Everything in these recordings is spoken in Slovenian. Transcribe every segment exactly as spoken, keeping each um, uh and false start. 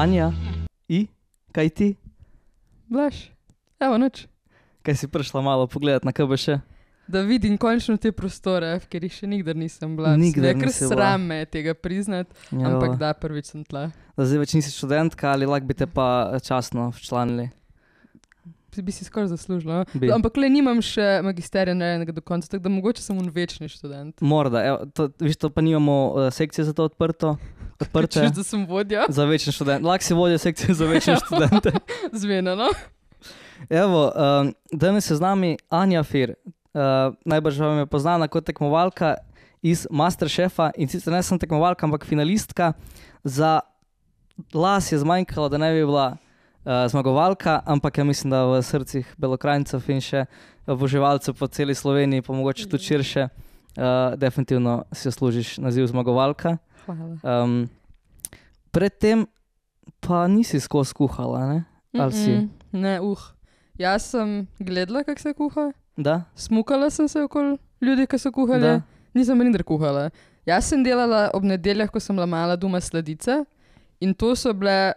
Anja, i, kaj ti? Blaž, evo nič. Kaj si prišla malo pogledat na K B Š? Da vidim končno te prostore, ker jih še nikdar nisem bila. Nikdar Ker nisi bila. sram me je tega priznati, Jo. ampak da, prvič sem tla. Da zdaj več nisi študentka ali lahko bi te pa časno včlanili? Bi si skoraj zaslužila. Bi. No? Ampak le nimam še magisterija narejenega do konca, tako da mogoče sem un večni študent. Morda, evo, to, viš, to pa nimamo uh, sekcije za to odprto. Odprte. Češ, da sem vodja? Za večne študente. Lahko si vodja sekcije za večne študente. Zmenjeno. Evo, um, danes je z nami Anja Fir. Uh, najbrž vam je poznana kot tekmovalka iz Masterchefa in sicer ne sem tekmovalka, ampak finalistka. Za las je zmanjkalo, da ne bi bila uh, zmagovalka, ampak ja mislim, da v srcih Belokranjcev in še oboževalcev po celi Sloveniji, pa mogoče tudi širše, uh, definitivno si zaslužiš naziv zmagovalka. Hvala. Um, predtem pa nisi skozi kuhala, ne? Ali si? Mm-mm. Ne, uh. Jaz sem gledala, kako se kuha. Da? Smukala sem se okoli ljudi, ki so kuhali. Da. Nisem nikdar kuhala. Jaz sem delala ob nedeljah, ko sem bila mala doma sladice in to so bile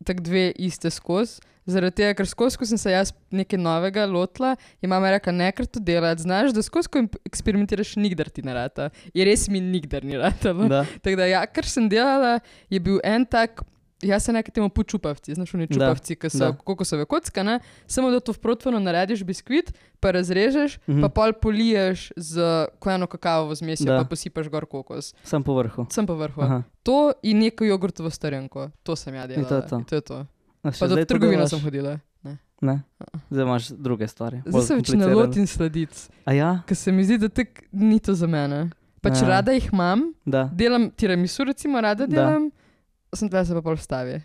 tak dve iste skozi. Zaradi tega, ker skozi, ko sem se jaz nekaj novega lotila, je mama rekla, nekaj to delati, znaš, da skozi, ko eksperimentiraš, nikdar ti ne rata. Je res mi nikdar ni ratalo. Da. Tako da ja, kar sem delala, je bil en tak, jaz se nekaj temu počupavci, znaš oni čupavci, ki so da. kokosove kocka, ne? Samo da to v protvano narediš biskvit, pa razrežeš, Mhm. pa pol poliješ z ko eno kakavovo zmesjo, Da. pa posipaš gor kokos. Sem po vrhu. Sem pa vrhu. Aha. To in neko jogurtovo starenko. To sem ja delala. In to je to. In to, je to. A še Pa do zdaj to trgovino delaš? sem hodila. Ne. Ne? Zdaj imaš druge stvari. Zdaj bolj se več ne komplicirane. lotim sladic, A ja? ker se mi zdi, da tak ni to za mene. Pač Ja. rada jih imam, Da. delam tiramisu recimo, rada Da. delam, sem tle se pa pol vstavi.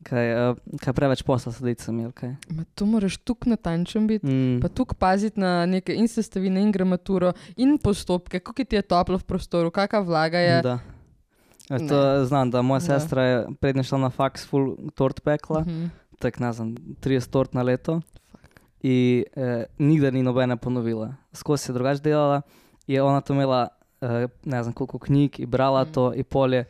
Kaj, uh, kaj preveč posla sladicam je, kaj? Ma to moraš tuk natančen biti. Mm. Pa tukaj paziti na neke in sestavine in gramaturo in postopke, kako ti je toplo v prostoru, kakva vlaga je. Da. E, to znam, da moja Da. sestra je prednje šla na faks full tort pekla, Mhm. tak ne znam, trideset tort na leto. In eh, nikdar ni nobene ponovila. Skozi je drugače delala, je ona to imela, eh, ne znam koliko knjig in brala Mhm. to in polje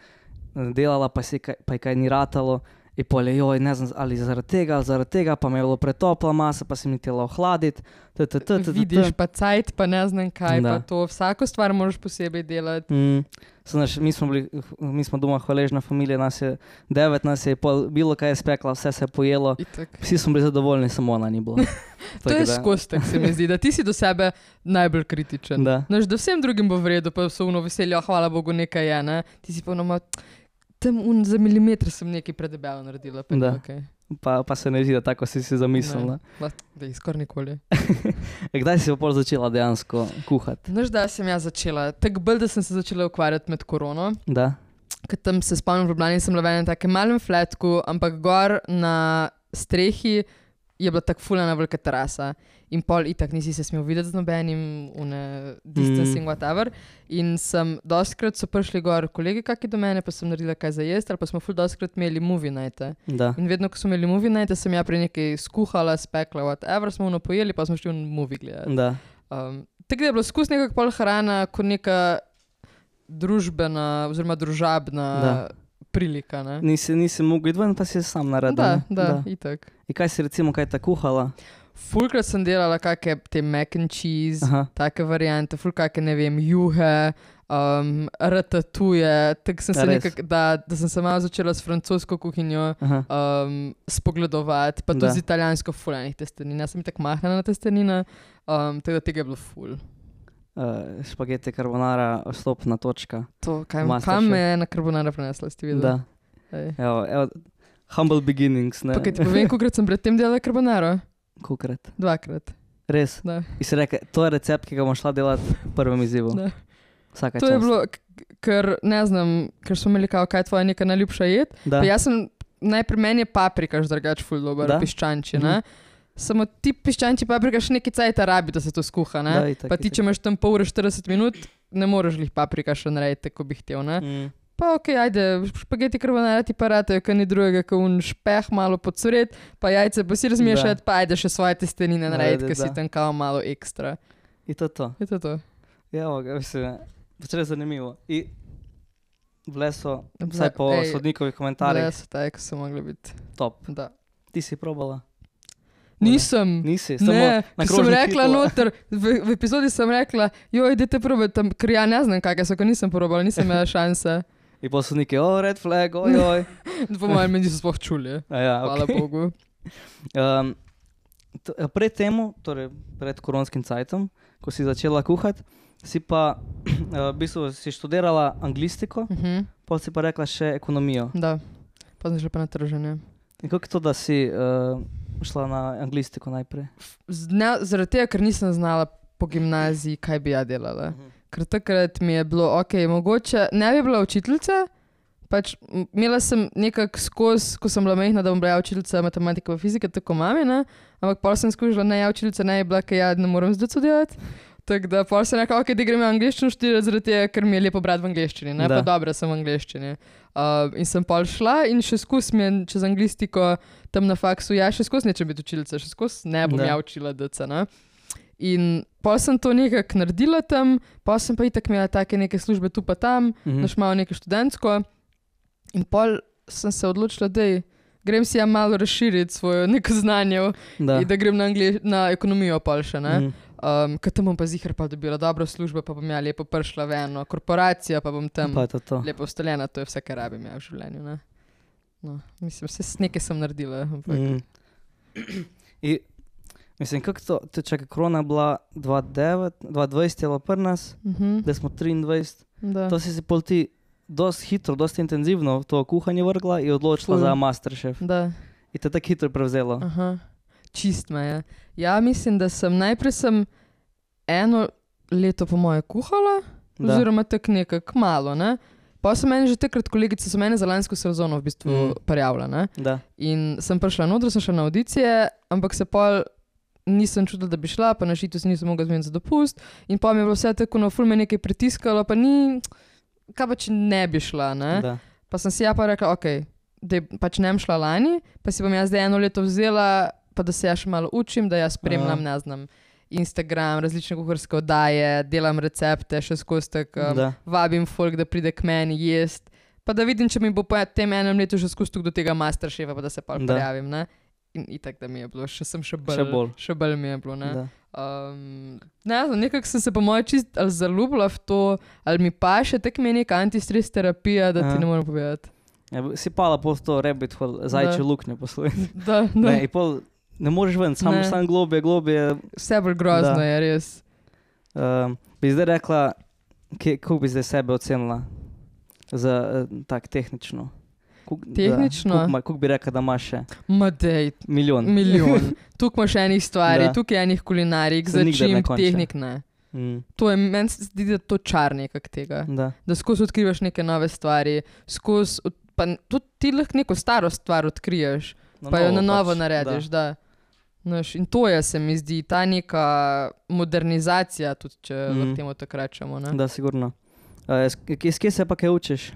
delala, pa, si, kaj- pa je kaj ni ratalo. In polje, joj, ne znam, ali zaradi tega, ali zaradi tega, pa me je bilo pretopla masa, pa si mi tela ohladiti. t, t, t, t, t, t. Vidiš pa cajt, pa ne znam kaj, Da. pa to. Vsako stvar moraš posebej delati. Mm. Znaš, mi, smo bili, mi smo doma hvaležna familija, nas je devet, nas je pol, bilo kaj je spekla, vse se je pojelo. Itak. Vsi smo bili zadovoljni, samo ona ni bila. To je skozi, tako se mi zdi, da ti si do sebe najbolj kritičen. Da. Znaš, da vsem drugim bo v redu, pa so uno veseljo, hvala Bogu, nekaj je, ne? Ti si pa ono, tam un, za milimeter sem nekaj predebelo naredila. Pa, Da. okay. Pa, pa se ne zdi, da tako si si zamislila. Ne, da jih skoraj nikoli. E, kdaj si pa pol začela dejansko kuhati? Znaš, da sem jaz začela, tako bolj, da sem se začela ukvarjati med korono. Da? Ker tam se spomnim, v Ljubljani sem bila v enem takem malem flatku, ampak gor na strehi je bila tako fulana velika terasa. In pol itak nisi se smel videti z nobenim, une distancing, Mm. whatever. In sem, dostkrat so prišli gor kolegi kaki do mene, pa sem naredila kaj za jesti, ali pa smo ful dostkrat imeli movie nighte. Da. In vedno, ko smo imeli movie nighte, sem ja pri nekaj skuhala, spekla, whatever, smo ono pojeli, pa smo šli v movie gledati. Da. Um, tako da je bilo skus nekako pol hrana kot neka družbena oziroma družabna Da. prilika. Ne? Nisi, nisi mogel iti ven, pa si sam naredil. Da, ne? da, itak. In kaj si recimo, kaj ta kuhala? Fulkrat sem delala kakšne te mac and cheese, Aha. take variante, ful kakšne, ne vem, juhe, um, ratatuje, tako sem Ja, se res? nekako, da, da sem se malo začela s francosko kuhinjo Aha. um, spogledovati, pa tudi Da. z italijansko fulanih testenin. Jaz sem tako mahna na testenine, um, tako da tega je bilo ful. Uh, špagete carbonara, stopna točka. To, kaj, Masterchef. kam me je na carbonara prenesla, ste videli? Da. Ej. Evo, evo, humble beginnings, ne? Pa kaj ti povem, kolikrat sem predtem delala carbonaro? Kolikrat? Dvakrat. Res? Da. In si rekel, to je recept, ki ga bom šla delati v prvem izzivu. Da. Vsaka To je čast. bilo, k- ker ne znam, ker smo imeli kao, kaj je tvoja neka najljubša jed. Da. Pa jaz sem, najprej meni je paprikaš drugač ful dober, Da? piščanči, Mhm. ne? Samo ti piščanči paprikaš neki cajta rabi, da se to skuha, ne? Da, itak, Pa ti, itak. če imaš tam pol ure štirideset minut, ne moreš jih paprikaš narediti, tako bi htel, ne? Mm. Pa ok, ajde, špageti carbonara ti pa ratajo, kaj ni drugega, kot un špeh malo podsuret, pa jajce pa si razmešati, pa ajde še svoje testenine narediti, ker si tam kao malo ekstra. In to je to. Je to to? Ja, ga, mislim, pač res zanimivo. In bile so, vsaj po Ej, sodnikovih komentarjih, Bile so taj, ko so mogli biti. top. Da. Ti si probala? Nisem. Nisi, samo Ne, na ker sem krožnik rekla hitela. noter, v, v epizodi sem rekla, joj, idete probati tam, ker ja ne znam kakaj so, ker nisem probala, nisem imela šanse. In pa sodniki, o, red flag, ojoj. Po mojem, me niso sploh čuli. A ja, Hvala okej. Bogu. Um, t- pred temu, torej pred koronskim cajtom, ko si začela kuhati, si pa uh, v bistvu si študirala anglistiko, Mhm. potem si pa rekla še ekonomijo. Da, pa sem šla pa na trženje. In kako je to, da si uh, šla na anglistiko najprej? Z- Ne, zaradi tega, ker nisem znala po gimnaziji, kaj bi ja delala. Ker takrat mi je bilo, ok, mogoče ne bi bila učiteljica, pač m- imela sem nekako skozi, ko sem bila majhna, da bom bila ja učiteljica matematike in fizike, tako mami, ne? Ampak pol sem skušala, ne ja učiteljica, ne je bila, ker ja ne morem zdaj delati. Tako da pol sem rekla, ok, da grem v angleščino študirati, zaradi tega, ker mi je lepo brati v angleščini, ne? Da. Pa dobra sem v angleščini. Uh, in sem pol šla in še skozi mi je čez anglistiko tam na faksu, ja, še skozi neče biti učiteljica, še skozi ne bom Da. ja učila D C, ne? In pol sem to nekako naredila tam, pol sem pa itak imela take neke službe tu pa tam, Mhm. naš malo nekaj študentsko. In pol sem se odločila, da grem si ja malo razširiti svoje neko znanje Da. in da grem na, angli- na ekonomijo pol še, ne. Mhm. Um, ker tam bom pa zihar pa dobila dobro službo, pa bom ja lepo prišla v eno korporacijo, pa bom tam Pa je to to. lepo ustaljena, to je vse, kar rabim ja v življenju, ne. No, mislim, vse nekaj sem naredila, ampak Mhm. I, mislim, kako to, te čakaj, korona je bila dva tisoč devet, dva tisoč dvajset je bila pri nas, mhm, da smo triindvajset. da. To si si pol ti dosti hitro, dosti intenzivno v to kuhanje vrgla in odločila Ful. za Masterchef. Da. In te tako hitro prevzelo. Aha, čist me je. Ja, mislim, da sem najprej sem eno leto po moje kuhala, Da. oziroma tako nekako malo, ne. Pa so meni že takrat kolegice, so mene za lansko sezono v bistvu Mm. mm. prijavila, ne. Da. In sem prišla noter, sem šla na audicije, ampak se pol nisem čutila, da bi šla, pa na šitu se nisem mogla zmeniti za dopust. In pa mi je bilo vse tako, no, ful me nekaj pritiskalo, pa ni, kaj pa če ne bi šla, ne. Da. Pa sem si ja pa rekla, ok, da pač ne bom šla lani, pa si bom jaz zdaj eno leto vzela, pa da se ja še malo učim, da jaz spremljam, ne znam, Instagram, različne kuharske oddaje, delam recepte, še skozi tako, um, Da. vabim folk, da pride k meni jest, pa da vidim, če mi bo po tem enem letu še skozi do tega Masterchefa, pa da se pa Da. prijavim, ne. In itak, da mi je bilo, še sem še bolj, Še bolj. še bolj mi je bilo, ne. Da. Um, ne znam, nekako sem se po moje čist ali zaljubila v to, ali mi pa še tako mi je neka antistres terapija, da Aha. ti ne morem povedati. Ja, si pala pol v to rabbit hole, zajče Da. luknje posloj. Da, da. Ne, in pol ne moreš ven, sam, Ne. sam globje, globje. Vse bolj grozno Da. je, res. Um, bi zdaj rekla, kje- kako bi zdaj sebe ocenila? Za uh, tak tehnično. Kuk, Tehnično? Kako bi rekla, da imaš še? Ma dej, Milijon. milijon. Tukaj imaš enih stvari, Da. tukaj enih kulinarik, Se nikdar ne začim, konča. tehnik ne. Mm, To je, meni se zdi, da je to čar nekak tega. da. Da skozi odkrivaš neke nove stvari, skozi, od- pa tudi ti lahko neko staro stvar odkriješ, pa jo na novo pač, narediš, da. Naš, in to je, se mi zdi, ta neka modernizacija, tudi če mm. Mhm. lahko temu tako rečemo. Ne? Da, sigurno. Uh, iz kje se pa kaj učiš?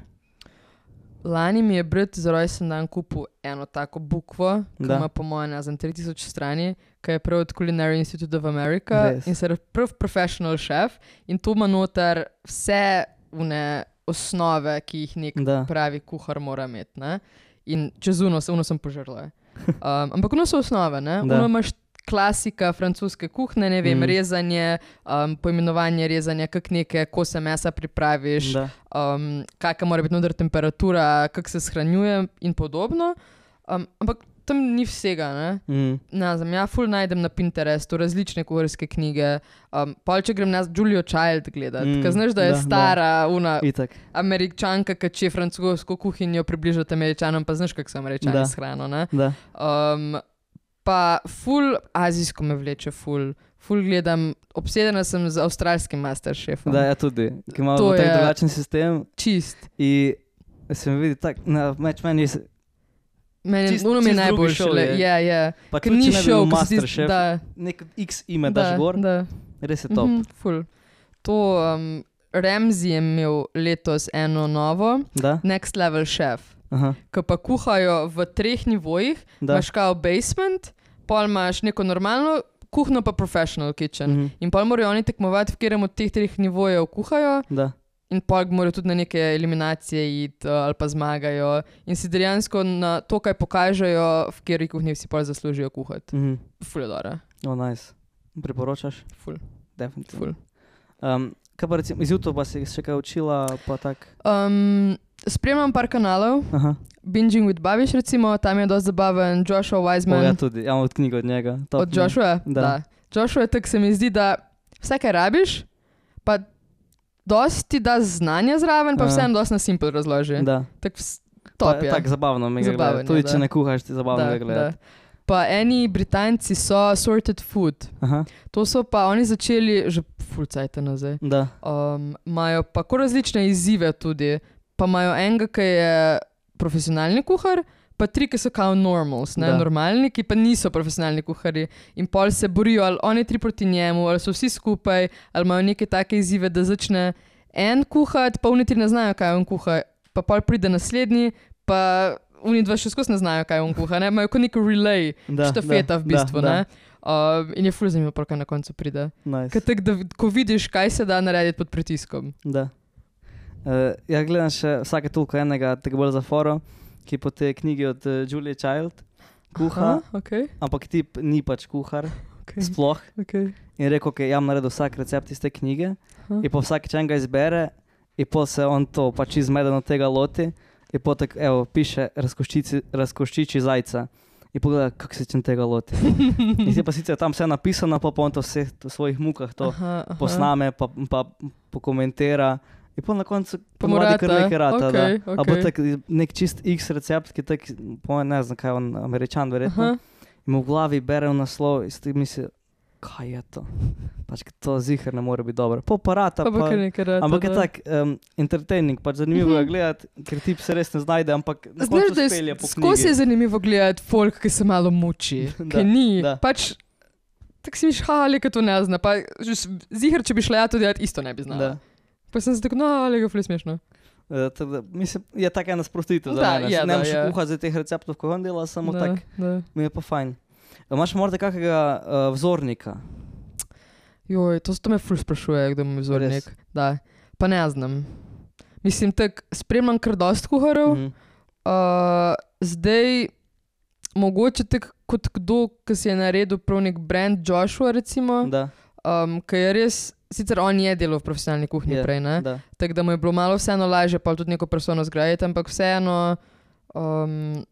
Lani mi je brat za rojsten dan kupil eno tako bukvo, ki Da. ima po mojem ne znam tri tisoč strani, ki je prav od Culinary Institute of America Res. in se je prav professional chef in tu ima noter vse une osnove, ki jih nek Da. pravi kuhar mora imeti. Ne? In čez uno, uno sem požrla. Um, ampak uno so osnove, ne? Da. Uno imaš klasika francoske kuhne, ne vem, Mm. mm. rezanje, um, poimenovanje rezanja, kak neke kose mesa pripraviš, Da. um, kakšna mora biti noter temperatura, kako se shranjuje in podobno. Um, ampak tam ni vsega, ne. Mm. Ne znam, ja ful najdem na Pinterestu različne kuharske knjige. Um, pol če grem na Julio Child gledat, Mm, mm, ker znaš, da je da, da, stara, una Itak. Američanka, ki če francosko kuhinjo približati Američanom, pa znaš, kako so Da. Američani s hrano, ne. Da. Um, pa ful azijsko me vleče, ful. Ful gledam, obsedena sem z avstralskim Masterchefom. Da, ja tudi. Ki ima To tak je- drugačen sistem Čist. in se mi vidi tak, na meč meni se, Meni Čist- ono mi je čist drugi najboljše. šov le- je. Ja, ja. pa Ker tudi ni če ne bi bil šel, ko se ti- Masterchef, da, nek X ime da, daš gor, da. res je top. Mhm, ful. To um, Ramsey je imel letos eno novo, Da? Next Level Chef, Aha, ki pa kuhajo v treh nivojih. da. Imaš kao basement, pol imaš neko normalno kuhno, pa professional kitchen. Mhm, In pol morajo oni tekmovati, v katerem od teh treh nivojev kuhajo. Da. in pol morajo tudi na neke eliminacije iti ali pa zmagajo in si dejansko na to, kaj pokažejo, v kateri kuhinji si pol zaslužijo kuhati. Mhm. Ful je dobro. O, nice. Priporočaš? Ful. Definitivno. Ful. Um, kaj pa recimo, iz YouTube si še kaj učila, pa tak? Um, spremljam par kanalov, Aha. Binging with Babiš recimo, tam je dosti zabaven, Joshua O, Wiseman. ja tudi, ja imam od knjigo od njega. Top, Od Joshua? Da. Da. Joshua je tak, se mi zdi, da vse, kaj rabiš, pa dosti da znanja zraven, pa Aha. vseeno dosti na simple razloži. Da. Tak vs- top Pa, je. tak zabavno mi ga Zabaven gledati. je, Tudi da. če ne kuhaš, ti zabavno Da, ga gledati. da. Pa eni Britanci so Sorted Food. Aha. To so pa oni začeli že ful cajta nazaj. Da. Um, Imajo pa kar različne izzive tudi. Pa imajo enega, ki je profesionalni kuhar, pa tri, ki so kao normals, ne, Da. normalni, ki pa niso profesionalni kuharji. In pol se borijo, ali oni tri proti njemu, ali so vsi skupaj, ali imajo neke take izzive, da začne en kuhati, pa oni tri ne znajo, kaj on kuha, pa pol pride naslednji, pa oni dva še skozi ne znajo, kaj on kuha, ne, imajo kot nek relay, Da, štafeta da, v bistvu, da, ne. Uh, in je ful zanimivo, pol, kaj na koncu pride. Nice. Kaj tak, da, ko vidiš, kaj se da narediti pod pritiskom. Da. Uh, ja, gledam še vsake toliko enega, tako bolj za foro, ki po tej knjigi od uh, Julie Child kuha, Aha, okay, ampak tip ni pač kuhar, okay, sploh. okay. In rekel, ok, ja bom naredil vsak recept iz te knjige Aha. in po vsakeč enega izbere in po se on to pač izmedeno tega loti in po tak, evo, piše razkoščici, razkoščiči zajca. In pogleda, kako se čem tega loti. In si pa sicer tam vse napisano, pa pa on to vse v svojih mukah to Aha, aha. posname, pa, pa pokomentira. In pa na koncu Pa ponavadi mu kar rata, nekaj rata, okej, da. A bo okej. tak nek čist X recept, ki tak, po ne znam kaj, on Američan verjetno. Aha. In mu v glavi bere v naslov in si ti misli, kaj je to? Pač to ziher ne more biti dobro. Po pa rata, Pa bo pa, kar nekaj rata, ampak je da. tak um, entertaining, pač zanimivo je Mhm. gledati, ker tip se res ne znajde, ampak na Znaš, koncu da je spelje po s- skozi je knjigi. zanimivo gledati folk, ki se malo muči, Da, ki ni. da. Pač, tako si miš, ha, ali to ne zna. Pa že s- ziher, če bi šla ja to delati, isto ne bi znala. Da. Pa sem se tako, no, ali ga ful je smešno. Uh, tako da, mislim, je tak ena sprostitev za Da, mene. je, Ne da, moreš je. kuhati za teh receptov, ko on dela, samo Da, tak, da. mi je pa fajn. A imaš morda kakega uh, vzornika? Joj, to, to me ful sprašuje, kdo mi je vzornik. Res? Da. Pa ne znam. Mislim, tak, spremljam kar dost kuharjev. Mhm. Uh, zdaj, mogoče tak kot kdo, ki si je naredil prav nek brand Joshua, recimo, Da, um, ki je res, sicer on je delal v profesionalni kuhinji Je, prej, ne? da. Tako da mu je bilo malo vseeno lažje, pa tudi neko persono zgraditi, ampak vseeno, um,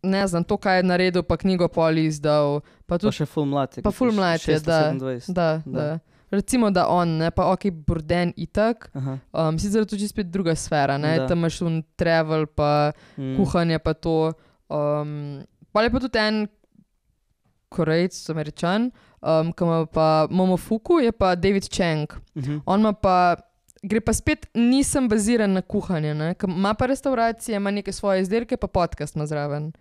ne znam, to, kaj je naredil, pa knjigo poli izdal, pa Pa tudi, še ful mlad je. pa kot ful si mlad je, šeststo da, sedemindvajset. da, Da. da. Recimo, da on, ne, pa ok, Burden itak, Aha. um, sicer je to čisto spet druga sfera, ne, Da. tam imaš un travel, pa Mm. kuhanje pa to. Um, pa je pa tudi en Korejc, Američan, um, ki ima pa Momofuku, je pa David Chang. Mhm. On ima pa, gre pa spet, nisem baziran na kuhanje, ne, ker ima pa restauracije, ima neke svoje izdelke, pa podcast ima zraven.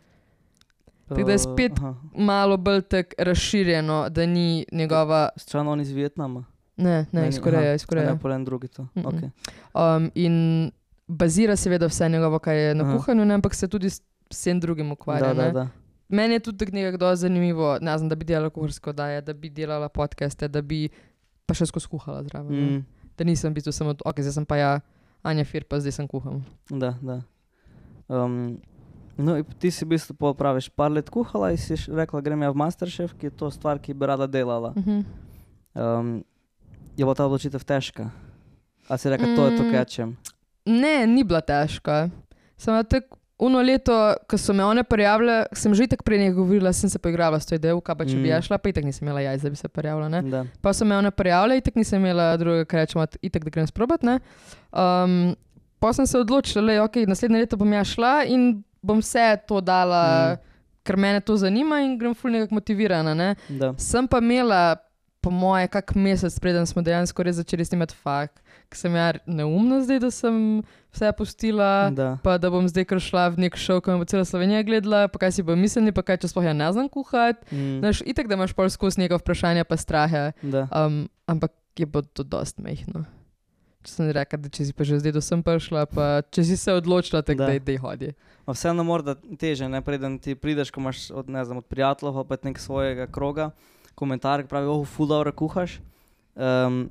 Tako da je spet Aha. malo bolj tak razširjeno, da ni njegova, Stran on iz Vietnama? ne, ne, iz Koreje, iz A Koreje. ne, polen drugi to. Mhm. Okay. Um, in bazira seveda vse njegovo, kaj je na Aha. kuhanju, ne, ampak se tudi s vsem drugim ukvarja. Da, da, ne. da. Meni je tudi tako nekako zanimivo, ne znam, da bi delala kuharske oddaje, da bi delala podcaste, da bi pa še skozi kuhala zraven. ne. Mm. Da nisem v bistvu samo, ok, zdaj sem pa ja Anja Fir, pa zdaj sem kuham. Da, da. Um, no, in ti si v bistvu pol praviš par let kuhala in si š- rekla, grem ja v Masterchef, ki je to stvar, ki bi rada delala. Mhm. Um, je bila ta odločitev težka? A si rekla, to je to, Mm. kaj čem? Ne, ni bila težka. Samo tako uno leto, ko so me one prijavile, sem že itak prej nekaj govorila, sem se poigrala s to idejo, kaj pa če bi Mm. ja šla, pa itak nisem imela jajc, da bi se prijavila, ne. Da. Pa so me one prijavile, itak nisem imela drugega, kar rečemo, itak da grem sprobat, ne. Um, pa sem se odločila, le, ok, naslednje leto bom ja šla in bom vse to dala, Mm. ker mene to zanima in grem ful nekako motivirana, ne. Da. Sem pa imela, po moje, kak mesec preden smo dejansko res začeli snimati fakt, ker sem ja neumna zdaj, da sem vse pustila, Da. pa da bom zdaj kar šla v nek šov, ko me bo cela Slovenija gledala, pa kaj si bo mislili, pa kaj, če sploh ja ne znam kuhati. Mm. Znaš, itak, da imaš pol skozi neka vprašanja pa strahe, Da. um, ampak je bo to dost mehno. Če sem rekla, da če si pa že zdaj do sem prišla, pa če si se odločila, tako Da. da dej hodi. A vseeno morda teže, ne, preden ti prideš, ko imaš od, ne znam, od prijateljev ali pa nek svojega kroga, komentar, ki pravi, oh, ful dobro kuhaš. Um,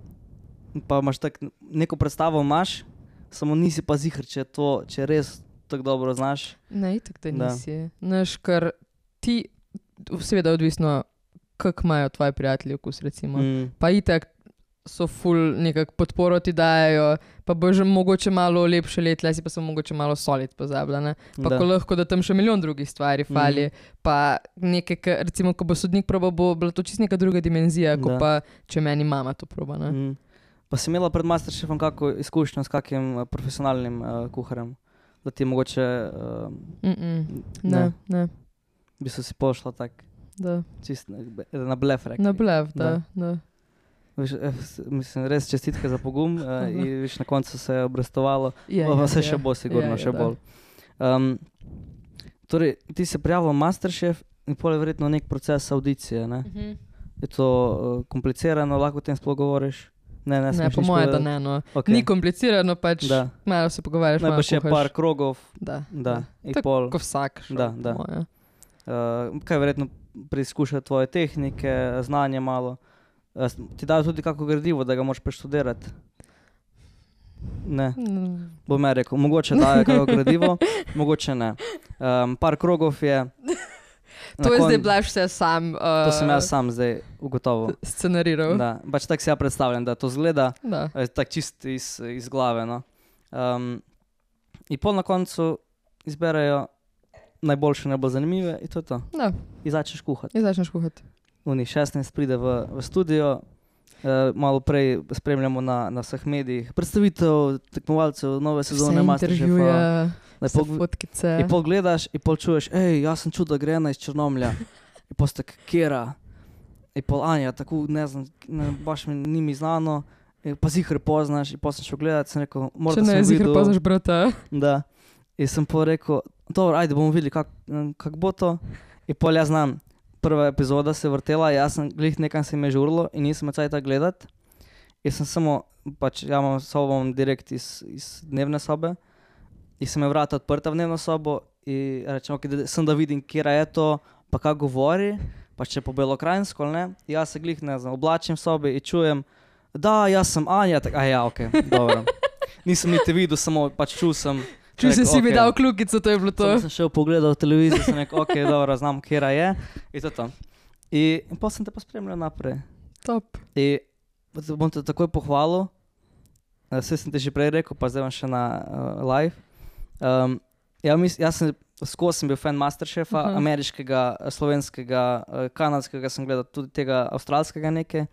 pa imaš tak, neko predstavo imaš, samo nisi pa zihr, če to, če res tako dobro znaš. Ne, itak da nisi. Znaš, ker ti, seveda odvisno, kak imajo tvoji prijatelji okus, recimo. Mm. Pa itak so ful nekak podporo ti dajo, pa bo že mogoče malo lepše let, le si pa so mogoče malo solid pozabljene. Pa Da. ko lahko, da tam še milijon drugih stvari fali, Mhm. pa nekaj, ka, recimo, ko bo sodnik probal, bo bila to čist neka druga dimenzija, ko Da. pa če meni mama to proba, ne. Mm. Pa si imela pred Masterchefom kako izkušnjo s kakim uh, profesionalnim uh, kuharjem? Da ti mogoče, uh, Mm-mm. Ne, Ne. ne, bi se si pošla tak da. čist na, na blef rekli. Na blev, da, da. Viš, eh, s- mislim, res čestitke za pogum uh, in viš, na koncu se je obrestovalo. Je, Pa je, se je. še bo sigurno, Je, je, še da. bolj. Um, torej, ti se prijavil Masterchef in pol je verjetno nek proces audicije, ne? Mhm. Je to uh, komplicirano, lahko o tem sploh govoriš? Ne, ne, Ne, smeš po nič moje, da povedati? ne, no. Okay. Ni komplicirano, pač Da. malo se pogovarjaš, malo Najbrž je kuhaš. par krogov, Da, da, in Tako pol. ko vsak šel, Da, po da. moje. Uh, kaj verjetno preizkušati tvoje tehnike, znanje malo. Uh, s- ti dajo tudi kako gradivo, da ga moraš preštudirati? Ne, Mm. bom ja rekel, mogoče dajo kako gradivo, mogoče ne. Um, par krogov je. Na To je kon- zdaj blaž vse sam uh, To sem jaz sam zdaj ugotovil. scenariral. Da, pač tako si ja predstavljam, da to zgleda, Da. eh, tako čist iz, iz glave. No. Um, in pol na koncu izberejo najboljše, najbolj zanimive in to je to. Da, In začneš kuhati. in začneš kuhati. Uni šestnajst pride v, v studio, uh, malo prej spremljamo na, na vseh medijih predstavitev tekmovalcev nove sezone Vse Masterchefa. intervjuje, Da vse pol- fotkice. In pol gledaš in pol čuješ, hej, jaz sem čutil, da gre ena iz Črnomlja. In pol ste kera. In pol Anja, tako ne znam, ne, baš mi ni mi znano. In pa zihr poznaš in pol sem šel gledat, sem rekel, Če morda ne, sem zihr videl. poznaš brata. Da. In sem pol rekel, dobro, ajde bomo videli, kak, kak bo to. In pol jaz znam, prva epizoda se je vrtela, jaz sem glih nekam se mi je žurlo in nisem me cajta gledat. In sem samo, pač ja imam sobo imam direkt iz, iz dnevne sobe. In sem je vrata odprta v dnevno sobo in rečem, okay, da, sem da vidim, kjera je to, pa kaj govori, pa če po belokrajinsko, ali ne. In jaz se glih, ne znam, oblačim v sobi in čujem, da, jaz sem Anja, tak, a ja, ok, dobro. Nisem niti videl, samo pač čul sem. Če si rekel, si mi okej. dal kljukico, to je bilo to. Samo sem šel pogledal televizijo, sem rekel, ok, dobro, znam, kjera je. In to je to. In, in potem sem te pa spremljal naprej. Top. In bom te takoj pohvalil, vse sem ti že prej rekel, pa zdaj vam še na uh, live. Um, ja, mis, jaz sem skozi sem bil fan Masterchefa, Aha. uh-huh. ameriškega, slovenskega, uh, kanadskega, sem gledal tudi tega avstralskega nekaj.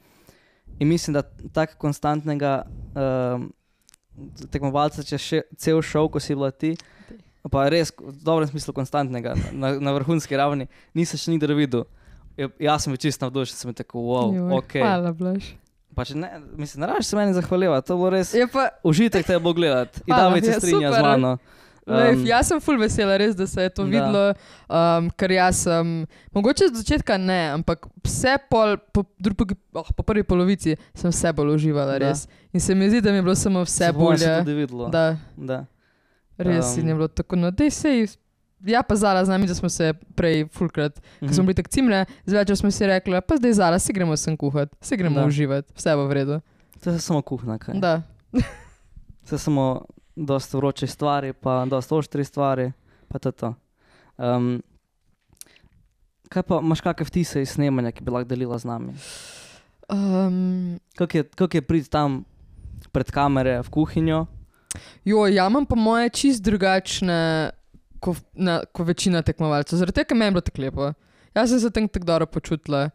In mislim, da tako konstantnega um, tekmovalca, če še cel šov, ko si bila ti, pa res v dobrem smislu konstantnega, na, na vrhunski ravni, nisem še nikdar videl. Ja- Jaz sem bil čisto navdušen, sem bil tako, wow, Joj, ok. Hvala, Blaž. Pač ne, mislim, ne rabiš se meni zahvaljevati, to je bilo res Je pa, užitek te bo gledati. In Hvala, David se ja, strinja super. z mano. Lejf, Um, jaz sem ful vesela, res, da se je to da. videlo, um, ker jaz sem, mogoče od začetka ne, ampak vse pol, po, drugi, oh, po prvi polovici sem vse bolj uživala, Da. res. In se mi zdi, da mi je bilo samo vse se bo se bolje. tudi videlo. Da, Da. res Um, um, je bilo tako, no dej sej, ja pa Zala z nami, da smo se prej fulkrat, Mhm. ko smo bili tak cimle, zvečer smo si rekli, pa zdaj Zala, si gremo sem kuhat, si gremo Da. uživati, vse bo v redu. To je samo kuhna, kaj. Da, To je samo dosta vroče stvari, pa dosta oštri stvari, pa to je to. Um, kaj pa, imaš kakšne vtise iz snemanja, ki bi lahko delila z nami? um, Kako je, kak je priti tam pred kamere v kuhinjo? Jo, ja imam pa moje čist drugačne, ko, na, ko večina tekmovalcev. Zaradi tega, ker meni je bilo tako lepo. Jaz sem se tam tako dobro počutila.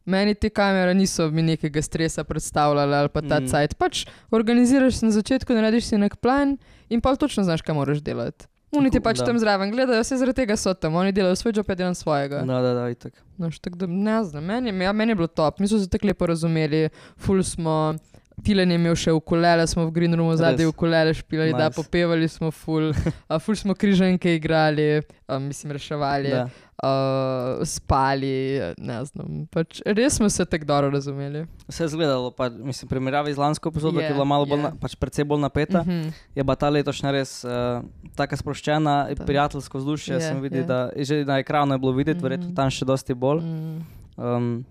Meni te kamere niso mi nekega stresa predstavljale ali pa ta Mm. mm. cajt. Pač organiziraš se na začetku, narediš si nek plan in pa točno znaš, kaj moraš delati. Oni ti Tako, pač da. tam zraven gledajo, vse zaradi tega so tam. Oni delajo svoj job, jaz delam svojega. Da, da, da, itak. No, tako da ne znam, meni, je- ja, meni je bilo top, mi smo se tako lepo razumeli, ful smo, Tilen je imel še ukulele, smo v green roomu zadnji Res? ukulele špilali, nice. Da, Nice. popevali smo ful, a, ful smo križanke igrali, a, mislim reševali, Da. a, spali, ne znam, pač res smo se tako dobro razumeli. Vse je izgledalo, pa, mislim, v primerjavi z lansko epizodo, Je, ki je bila malo bolj, je. na, pač precej bolj napeta, Mhm. je pa ta letošnja res uh, taka sproščena, Da. prijateljsko vzdušje, Je, sem videl, je. da že na ekranu je bilo videti, Mhm. verjetno tam še dosti bolj. Mm. Um,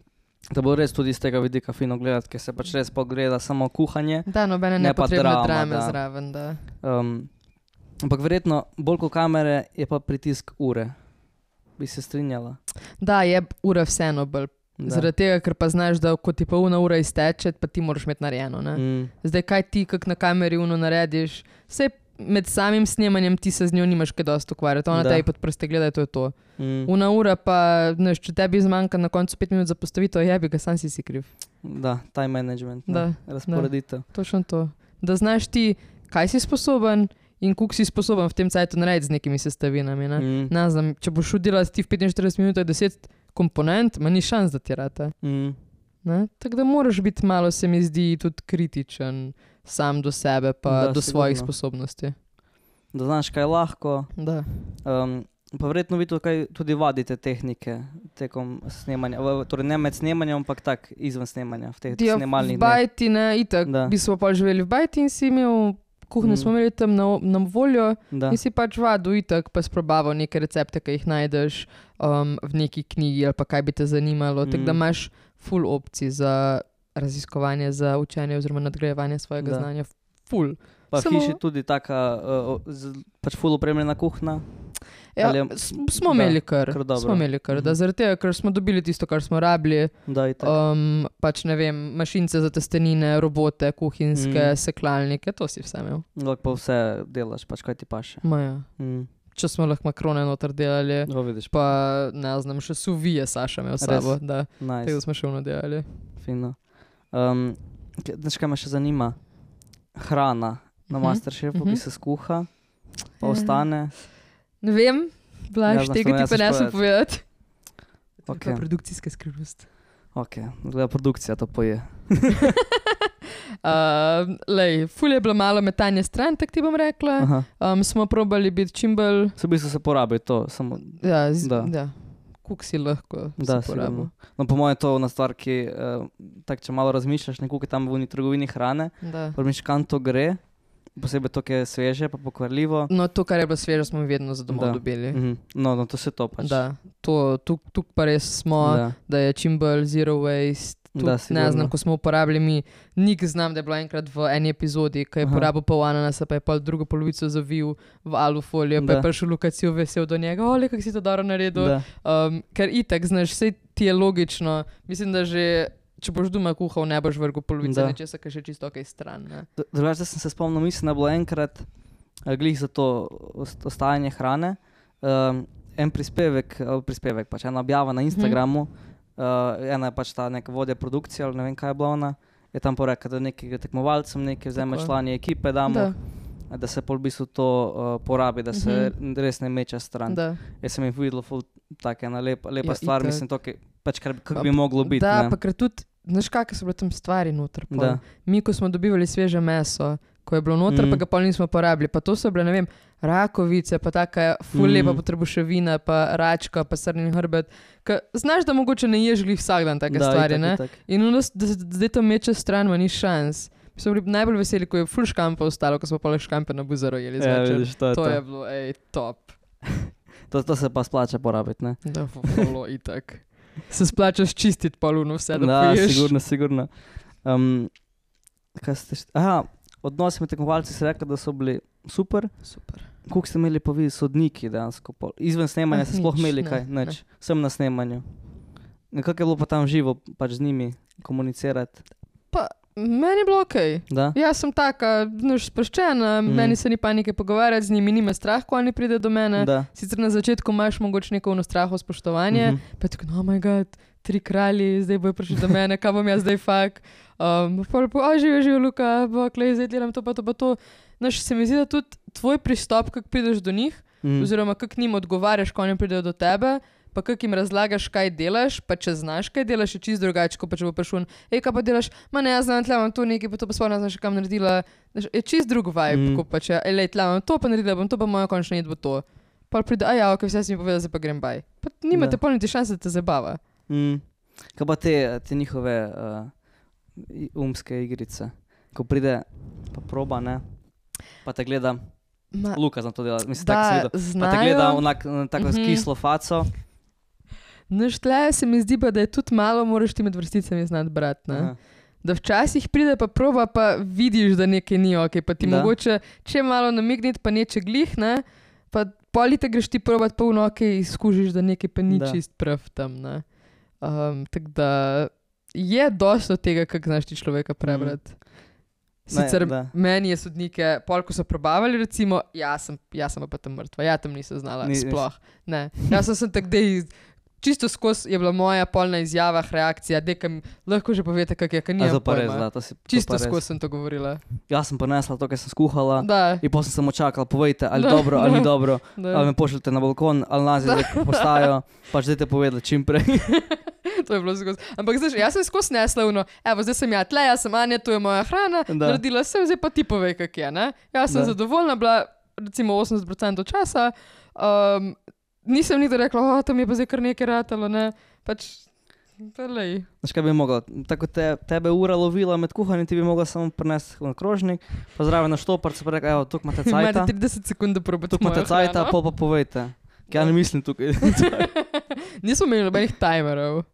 Da bo res tudi iz tega vidika fino gledati, ker se pač res pogleda samo kuhanje. Da, nobene ne pa nepotrebne drama, drame da. zraven, da. Um, ampak verjetno bolj kot kamere je pa pritisk ure. Bi se strinjala? Da, je ura vseeno bolj. Da. Zaradi tega, ker pa znaš, da ko ti pa una ura izteče, pa ti moraš imeti narejeno, ne? Mm, Zdaj, kaj ti, kak na kameri uno narediš, vse med samim snemanjem ti se z njo nimaš kaj dosti ukvarjati. Ona Da. tebi pod prste gleda, to je to. mm, Una ura pa, znaš, če tebi zmanjka na koncu pet minut za postavitev, jebi ga, sam si si kriv. da, time management, ne, Da, razporeditev. Točno to. Da znaš ti, kaj si sposoben in koliko si sposoben v tem cajtu narediti z nekimi sestavinami, ne? Mm, Ne znam, če boš šel delati ti v petinštirideset minutah deset komponent, ma ni šans, da ti rata. mm, Ne? Tako da moraš biti malo, se mi zdi, tudi kritičen sam do sebe pa Da, do svojih sigurno. sposobnosti. da znaš, kaj je lahko. Da. Um, pa verjetno vi tukaj tudi vadite tehnike tekom snemanja. V- Torej ne med snemanjem, ampak tak izven snemanja, v teh Ja, snemalnih v dneh. Bajti, ne, itak, Da. bi smo pa živeli v Bajti in si imel, kuhnjo Mm. smo imeli tam na, na voljo Da. in si pač vadil itak, pa sprobaval neke recepte, ki jih najdeš um, v neki knjigi ali pa kaj bi te zanimalo. Mm. Tako da Mm. imaš full opcij za raziskovanje, za učenje oziroma nadgrajevanje svojega Da. znanja. Full. Pa v Samo- hiši tudi taka, uh, z, pač ful opremljena kuhna. Ja, Ali je- s- smo da, imeli kar, kar dobro. smo imeli kar, da Mhm. zaradi tega, ker smo dobili tisto, kar smo rabili, Da, itak. um, pač ne vem, mašince za testenine, robote, kuhinjske, Mm. mm. seklalnike, to si vse imel. Lahko pa vse delaš, pač kaj ti paše. Maja. Mm. Če smo lahko makrone noter delali, No, vidiš, pa ne znam, še suvije Saša imel s sabo, da nice, tega smo še vno delali. fino. Um, k- Znaš, kaj me še zanima? Hrana na Mhm, Masterchefu, mhm. ki se skuha, pa Ja. ostane. Ne vem, Ja, Blaž, znaš, tega to ne ti pa znaš ne sem povedati. To je Okej. pa produkcijska skrivnost. Ok, gleda produkcija to poje. Uh, lej, ful je bilo malo metanje stran, tako ti bom rekla. Aha. Um, smo probali biti čim bolj, Se v bistvu se porabi to, samo, ja, z, Da. ja. Kuk si lahko da, se porabil. sigurno. No, po mojem je to ona stvar, ki, uh, tak, če malo razmišljaš, nekako je tam v uni trgovini hrane, Da. razmišljaš, kam to gre, posebej to, ki je sveže, pa pokvarljivo. No, to, kar je bilo sveže, smo vedno za domov Da. dobili. Mhm. No, no, to se to pač. Da, to, tuk, tuk pa res smo, da, Da. da je čim bolj zero waste. Tuk, Da, ne sigurno. znam, ko smo uporabili mi, nik znam, da je bilo enkrat v eni epizodi, ko je Aha. porabil pol ananasa, pa je pol drugo polovico zavil v alufolijo, pa je Da. prišel Lukacijo vesel do njega, ole, kako si to dobro naredil. Da. Um, ker itak, znaš, vse ti je logično. Mislim, da že, če boš doma kuhal, ne boš vrgel polovice Da. nečesa, kar še čisto kaj stran. Ne? D- Drugače, da sem se spomnil, mislim, da je bilo enkrat eh, glih za to ost- ostajanje hrane, um, en prispevek, eh, prispevek, pač ena objava na Instagramu, uh, ena je pač ta neka vodja produkcije, ali ne vem, kaj je bila ona, je tam porekla, da nekaj tekmovalcem, nekaj vzame Tako je. člani ekipe, damo, Da, da, da se pol v bistvu to uh, porabi, da se Mhm. res ne meče stran. da. Jaz sem jih videl, ful, taka ena lepa, lepa Ja, stvar, itak. mislim, to, ki, pač kar, kar Pa- bi moglo biti. Da, ne. pa ker tudi, znaš, kakšne so bile tam stvari noter. pol. Da. Mi, ko smo dobivali sveže meso, ko je bilo noter, Mm. mm. pa ga pol nismo porabili, pa to so bile, ne vem, rakovice, pa taka ful Mm. lepa potrebuševina, pa račka, pa srni hrbet. Ka, znaš, da mogoče ne ješ glih vsak dan take Da, stvari, itak, ne? itak. In ono, s- da se zdaj to meče stran, ma ni šans. Mi smo bili najbolj veseli, ko je ful škampa ostalo, ko smo pa le škampe na buzaro jeli Ja, zvečer. vidiš, to je To to. je bilo, ej, top. To, to se pa splača porabiti, ne? Da, bilo itak. Se splačaš čistiti poluno vse, da, Da, poješ. sigurno, sigurno. Um, kaj ste št... Aha, odnosi med tekmovalci si rekli, da so bili super. Super. Koliko ste imeli pa vi sodniki dejansko? pol? Izven snemanja Ah, ste sploh nič, imeli ne, kaj? ne. Nič. Sem na snemanju. Nekako je bilo pa tam živo pač z njimi komunicirati. Meni je bilo okej. Da? Jaz sem taka, znaš, sproščena, Mhm. mm. meni se ni panike pogovarjati z njimi, ni me strah, ko oni pride do mene. Da. Sicer na začetku imaš mogoče neko ono straho spoštovanje, Mhm. pa je tako, no moj bog, tri kralji, zdaj bojo prišli do mene, kaj bom jaz zdaj fak. Um, pa lepo, a živi, živi, Luka, bo, klej, zdaj delam to, pa to, pa to. Znaš, se mi zdi, da tudi tvoj pristop, kako prideš do njih, Mhm. oziroma kako njim odgovarjaš, ko oni pridejo do tebe, pa kako jim razlagaš, kaj delaš, pa če znaš, kaj delaš, je čisto drugače, kot pa če bo prišel, hej, kaj pa delaš, ma ne, jaz znam, tle imam to nekaj, pa to pa sploh ne znaš, kam naredila. Znaš, je čisto drug vibe, Mm. mm. kot pa če, ej, tle imam to, pa naredila bom to, pa moja končna jed bo to. Pa pride, a ja, ok, vse si mi povedal, zdaj pa grem baj. Pa nimate Da. pol niti šanse, da te zabava. Mm. Kaj pa te, te njihove uh, i- umske igrice? Ko pride, pa proba, ne? Pa te gleda, Ma, Luka znam to delati, mislim, tako sem da videl. Pa te gleda znajo, onak, na tako Mhm. kislo faco. Naš tle se mi zdi pa, da je tudi malo moraš ti med vrsticami znati brati, ne? Da včasih pride pa proba, pa vidiš, da nekaj ni ok, pa ti Da. mogoče če malo namigniti, pa neče glih, ne? Pa polite greš ti probat polno ok, izkužiš, da nekaj pa ni Da. čist prav tam, ne? Um, tako da je dosto tega, kako znaš ti človeka prebrati. Sicer Ne, da. meni je sodnike, pol ko so probavali recimo, jaz sem, jaz sem pa tam mrtva, ja tam nisem znala, Ni- sploh. Ne, jaz sem sem tak dej, čisto skozi je bila moja polna izjava, reakcija, dekam, lahko že povete, kak je, ker A nimam to pa res, pojma. da, to si to Čisto pa res. skozi sem to govorila. Jaz sem prinesla to, kar sem skuhala Da, in potem sem samo čakala, povejte, ali Da, dobro, ali ni da. dobro, da. ali me pošljete na balkon, ali nazaj postajo, pač dajte povedati čim prej. To je bilo skozi. Ampak zdaj, jaz sem skozi nesla uno, evo, zdaj sem ja tle, jaz sem Anja, to je moja hrana, Da. naredila sem, zdaj pa ti povej, kak je, ne? Jaz sem Da. zadovoljna bila, recimo osemdeset procentov časa, um, nisem nikdar rekla, o, tam je pa zdaj kar nekaj ratalo, ne? Pač, lej. Znaš, kaj bi mogla? Tako te, tebe ura lovila med kuhanjem, ti bi mogla samo prinesti na krožnik, pa zraven na štoparce, pa rekla, evo, tukaj imate Imate cajta, trideset sekund, da probate tukaj imate mojo cajta, hrano. pol pa povejte. Kaj ja ne mislim tukaj. Nismo imeli nobenih timerov.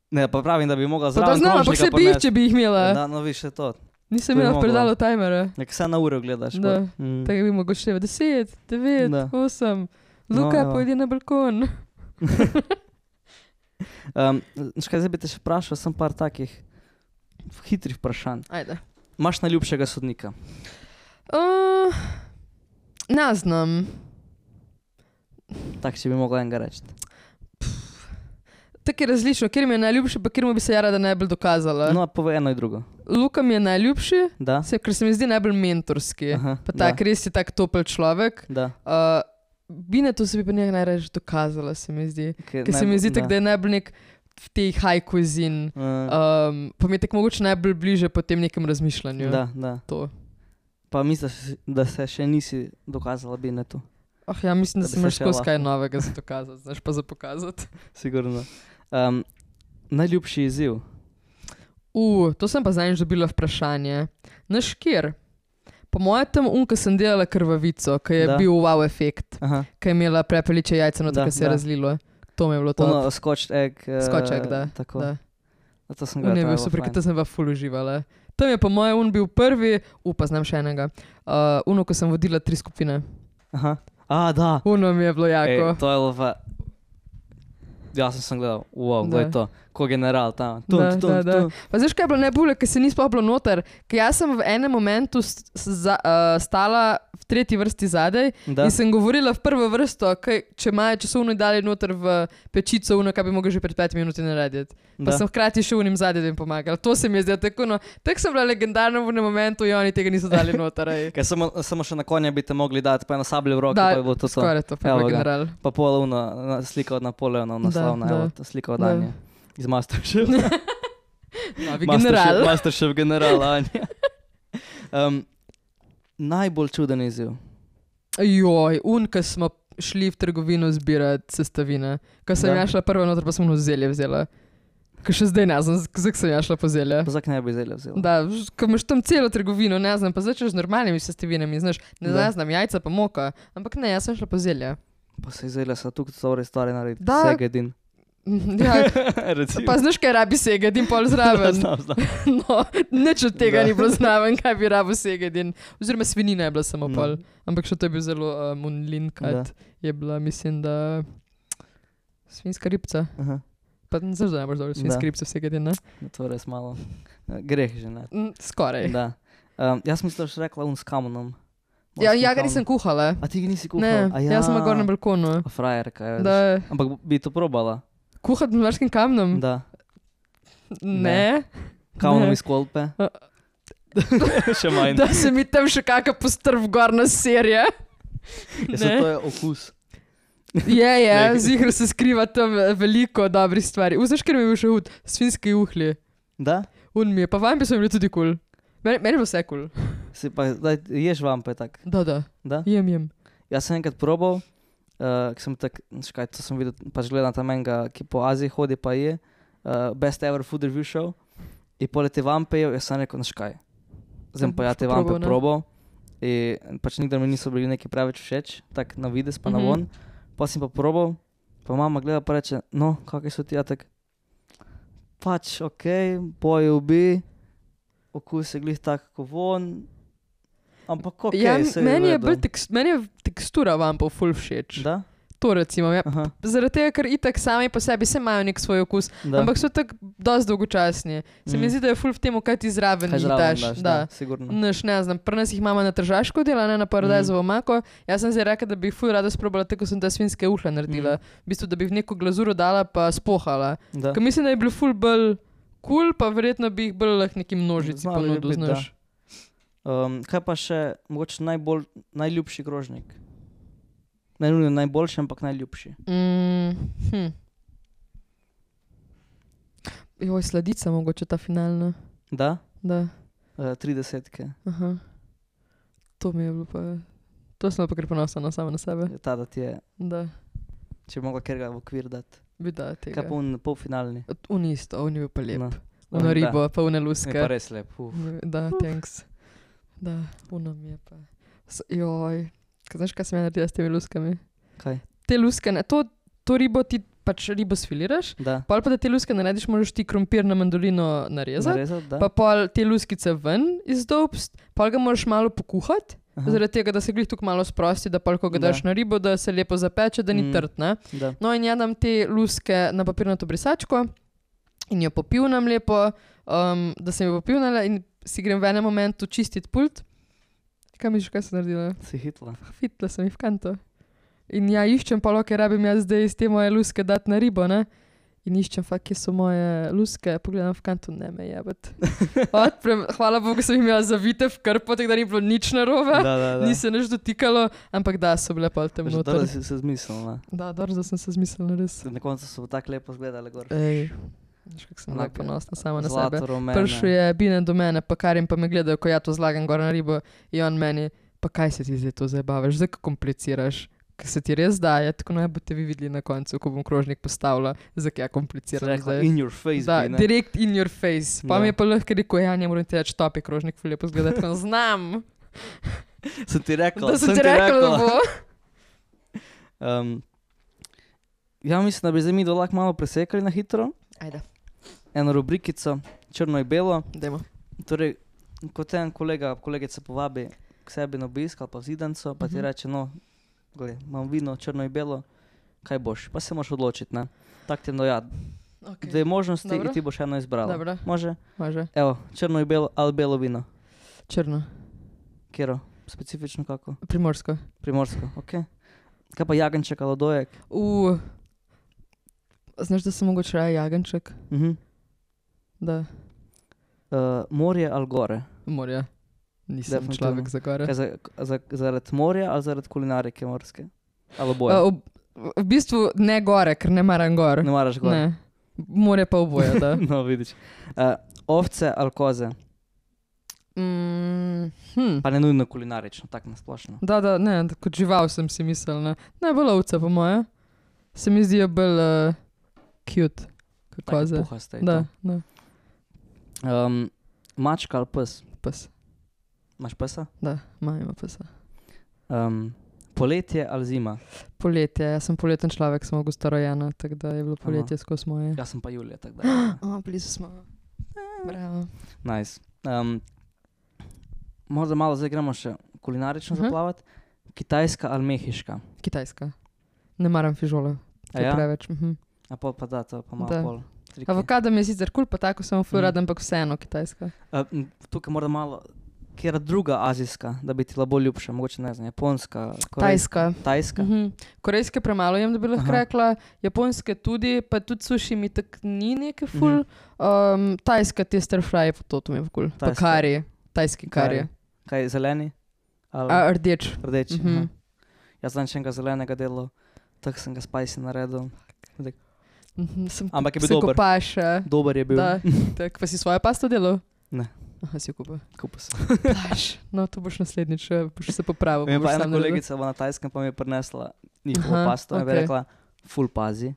Ne, pa pravim, da bi mogla Pa da zraven znam, ampak krožnika se bi jih, prinesti. če bi jih imela. Da, no viš, je to. Nisem to bi imela v mogla. predalu timera. Nek vse na uro gledaš. Da. pa. Mm. Tako bi mogoče števa deset, devet, Da. osem. No, Luka, evo. pojdi na balkon. Um, znaš kaj, zdaj bi te še vprašal, sem par takih hitrih vprašanj. Ajde. Imaš najljubšega sodnika? Uh, ne znam. Tak, če bi mogla enega reči. Tako je različno, kjer mi je najljubši, pa kjer mu bi se ja rada najbolj dokazala. No, povej eno in drugo. Luka mi je najljubši, Da? se, ker se mi zdi najbolj mentorski. Aha, Pa tak, res je tak topel človek. Da. Uh, Binetu se bi pa njega najraje dokazala, se mi zdi. Ker Ker se mi zdi tako, da je najbolj nek v tej high cuisine. Uh, Um, pa mi je tako mogoče najbolj bliže po tem nekem razmišljanju. da, da. To. Pa misliš, da se še nisi dokazala bi netu? Oh, ja, mislim, da, Da bi sem se imaš še skozi lahko. kaj novega za dokazati, znaš pa za pokazati. Sigurno. Um, najljubši izziv? Uh, to sem pa zadnjič dobila vprašanje. Naš kjer? Po mojem tam un, ko sem delala krvavico, ko je Da. bil wow efekt, Aha. ko je imela prepeliče jajce, no Da, tako se je da. razlilo. To mi je bilo to. Ono, scotch egg. Uh, Scotch egg, da, Tako. da. A to sem Un je gledala, bil to super, fajn. ker to sem pa ful uživala. Tam je po mojem un bil prvi, upa, znam še enega. Uh, uno, ko sem vodila tri skupine. Aha. A, da. Uno mi je bilo jako. Ej, to je lova. Ja sem sem gledal, wow, Da. gledaj to. Ko general tam. Tum, Da, tum, da, da. tum. Pa znaš, kaj je bilo najbolje, ker se ni sploh bilo noter? Ker jaz sem v enem momentu st za, uh, stala v tretji vrsti zadaj Da. in sem govorila v prvo vrsto, kaj, če imajo časovno dali noter v pečico, uno, kaj bi mogel že pred petimi minuti narediti. Pa Da. sem hkrati še unim zadaj, da jim pomagala. To se mi je zdelo tako, no, tako sem bila legendarna v enem momentu in oni tega niso dali noter. ej. Ker samo, samo še na konja bi te mogli dati, pa eno sablje v roki, Da, pa je bilo to to. Skoraj to, pa je Evo bilo ga. general. Pa pol uno, na- slika od Napoleona, naslovna, Da, evo, da. ta slika od Da. Anje. Iz Masterchef. Novi general. Masterchef, Masterchef general Anja. Um, najbolj čuden izziv. Joj, un, ko smo šli v trgovino zbirati sestavine. Ko sem Da. ja šla prva noter, pa sem ono zelje vzela. Ko še zdaj ne znam, zakaj sem ja šla po zelje. Pa zakaj ne bi zelje vzela? Da, ž- ko imaš tam celo trgovino, ne znam, pa začneš z normalnimi sestavinami, znaš, ne Da. znam jajca pa moka, ampak ne, jaz sem šla po zelje. Pa se zelje sa tukaj dobre stvari narediti. Da. Segedin. Ja, Recimo. pa znaš, kaj rabi segedin pol zraven. Znam, znam. No, nič od tega Da. ni bilo zraven, kaj bi rabo segedin. Oziroma svinina je bila samo No. pol, ampak še to je bil zelo um, unlinkat. Je bila, mislim, da svinska ribca. Aha. Pa ne znaš, da ne boš dobro svinska Da. ribca segedin, ne? No, to je res malo. eh, Greh že, ne? Mm, Skoraj. Da. Um, jaz mislim, da si rekla un s kamonom. Ja, Morskim ja, ga kamenom. nisem kuhala. A ti ga nisi Ne, kuhala? A ja. jaz sem na gornjem balkonu. A frajerka, je. Da, Ampak bi to probala? kuhati z morskim kamnom? Da. Ne. Kamnom Ne. iz kolpe? A- Še manj. Da se mi tam še kakšna postrv gorna serija. Ja, se Ne. to je okus. Je, je, Nekaj. zihr se skriva tam veliko dobrih stvari. Vzaš, ker mi je bil še hud, svinski uhli. Da? Un mi je, pa vampi so mi bili tudi kul. Cool. Meni, meni je bilo vse kul. Cool. Si pa, daj, ješ vampe tak. Da, da, Da? jem, jem. Jaz sem enkrat probal, uh, sem tak, škaj, to sem videl, pač gledam tam enega, ki po Aziji hodi pa je, uh, Best Ever Food Review Show, in pole te vampe jev, jaz sem rekel, škaj, zdaj pa ja te vampe Probal, ne? probal, in pač nikdar mi niso bili neki preveč všeč, tak na vides pa na Mhm. von, pa sem pa probal, Pa mama gleda pa reče, no, kakaj so ti, ja tak, pač, okej, okay, pojev bi, okus je glih tak, kako von, ampak okej, Ja, okay, se meni je, redu. bolj tekst, meni je tekstura vampov ful všeč. Da? To recimo, ja. Aha, Zaradi tega, ker itak sami po sebi se imajo nek svoj okus, da. ampak so tako dosti dolgočasni. Se mi Mm. zdi, da je ful v tem, kaj ti zraven Kaj jih zraven daš. daš, Da. da, sigurno. Naš, ne znam, pri nas jih imamo na Tržaško dela, ne na paradajzovo Mm. mako. Jaz sem zdaj rekla, da bi jih ful rada sprobala, tako sem te svinjske uhle naredila. Mm. V bistvu, da bi v neko glazuro dala pa spohala. Da. Ker mislim, da je bil ful bolj kul, pa verjetno bi jih bolj lahko neki množici Znalo bi ponudil, biti, znaš. Um, kaj pa še, mogoče najbolj, najljubši krožnik? Ne nujno najboljši, ampak najljubši. Mm, hm. Joj, sladica mogoče ta finalna. Da? Da, Uh, tridesetke. aha. To mi je bilo pa... To sem pa kar ponosna sama na sebe. Ta, da ti je, Da, če bi mogla kjerga v okvir dati. bi da tega. Kaj pa un polfinalni? Un isto, un je bil pa lep. No. Uno Da. ribo, pa une Je pa luske. res lep. Uf. Da, thanks. Da, uno mi je pa... S- Joj, kaj znaš, kaj sem ja naredila s temi luskami? Kaj? Te luske, ne, to, to ribo ti pač ribo sfiliraš, Da. pol pa da te luske narediš, moraš ti krompir na mandolino narezati, Narezati, da? pa pol te luskice ven izdolbst, pol ga moraš malo pokuhati, Aha. zaradi tega, da se glih tukaj malo sprosti, da pol, ko ga Da. daš na ribo, da se lepo zapeče, da ni Mm. trd, ne? Da. No in jadam te luske na papirnato brisačko in jo popivnam lepo, um, da sem jo popivnala in si grem v enem momentu čistiti pult. Kaj misliš, kaj sem naredila? Si hitla. Fitla sem jih v kanto. In ja, iščem pa, ker rabim jaz zdaj iz te moje luske dati na ribo, ne? In iščem, fakt, kje so moje luske, pogledam v kanto, ne me jebet. Odprem, hvala Bogu, sem jim jaz zavite v krpo, tako da ni bilo nič narobe. Da, da, da. Ni se nič dotikalo, ampak da, so bile pol tam Že noter. dobro si se zmislila. Da, dobro, da sem se zmislila, res. Na koncu so tako lepo zgledali gor. Ej, veš, kako sem bila Onako, ponosna sama na sebe. Zlato, rumene. Prišel je Binen do mene, pa Karim pa me gledajo, ko ja to zlagam gor na ribo in on meni, pa kaj se ti zdaj to zabavaš, zdaj ko kompliciraš, ker se ti res daje, tako naj boste vi videli na koncu, ko bom krožnik postavila, zakaj ja Si kompliciram rekla, zdaj. in your face, Da, bi, ne? direkt in your face. Pa Da. mi je pa lahko rekel, ja, ne moram ti reči, top je krožnik, ful lepo zgleda, tako znam, Sem ti rekla, da sem ti rekla, da bo. Um, ja, mislim, da bi zdaj mi do lahko malo presekali na hitro. Ajde, Eno rubrikico, črno in belo. dajmo. Torej, kot en kolega, kolegica povabi k sebi na obisk ali pa v zidanco, pa ti Mhm. reče, no, gled, imam vino, črno in belo, kaj boš? Pa se moraš odločiti, ne? Tak ti je no ja, Okay. dve možnosti Dobro. in ti boš eno izbrala. Dobro. Može? Može. Evo, črno in belo ali belo vino. Črno. Kjero? Specifično kako? Primorsko. Primorsko, okej. Kaj pa jagenček ali dojek? U, znaš, da sem mogoče raje jagenček? Mhm. Da, Uh, morje ali gore? morja. Nisem Definitivno. človek za gore. Kaj za, za, zaradi morja ali zaradi kulinarike morske? Ali A, oboje? ob, v bistvu ne gore, ker ne maram gor. Ne maraš gore? Ne. More pa oboje, da. No, vidiš. Uh, ovce ali koze? Mm, hm. Pa ne nujno kulinarično, tako nasplošno. Da, da, ne, da kot žival sem si mislil. Ne, ne bolj ovce po moje. Se mi zdijo bolj uh, cute kot Take koze. puhaste in Da, to. da, Um, mačka ali pes? pes. Imaš pesa? Da, ima ima pesa. Um, poletje ali zima? Poletje, jaz sem poleten človek, sem avgusta rojena, tako da je bilo poletje skozi moje. Jaz sem pa julija, tako da. O, blizu smo. Bravo. Nice. Um, morda malo zdaj gremo še kulinarično Mhm. zaplavati. Kitajska ali mehiška? Kitajska. Ne maram fižola. A To je ja? preveč. Mhm. A pol pa da, to je pa malo Da. pol. triki. Avokado mi je sicer kul, pa tako sem ful Mhm. rada, ampak vseeno kitajska. Uh, m, tukaj morda malo, kjera druga azijska, da bi ti bila bolj ljubša, mogoče ne znam, japonska, korejska. Tajska. Tajska? Mhm. Korejske premalo jem, da bi lahko Aha. rekla, japonske tudi, pa tudi suši mi tak ni neke ful. Mhm. Um, tajska te stir fry, pa to, to mi je ful. Pa Tajska. kari, tajski kari. Kari. Kaj, zeleni? Ali A, rdeč. rdeči? Mhm. aha. Jaz znam še enega zelenega delo, tako sem ga spicy naredil. Mhm, sem Ampak je bil se dober. kopaša. Dober je bil. Da, tak, pa si svojo pasto delal? Ne. Aha, si jo kupil. Kupil sem. Plaš. No, to boš naslednjič, eh, boš se popravil. Vem boš pa ena sam naredil. kolegica bo na Tajskem pa mi je prinesla njihovo Aha, pasto in bi okej. rekla, ful pazi,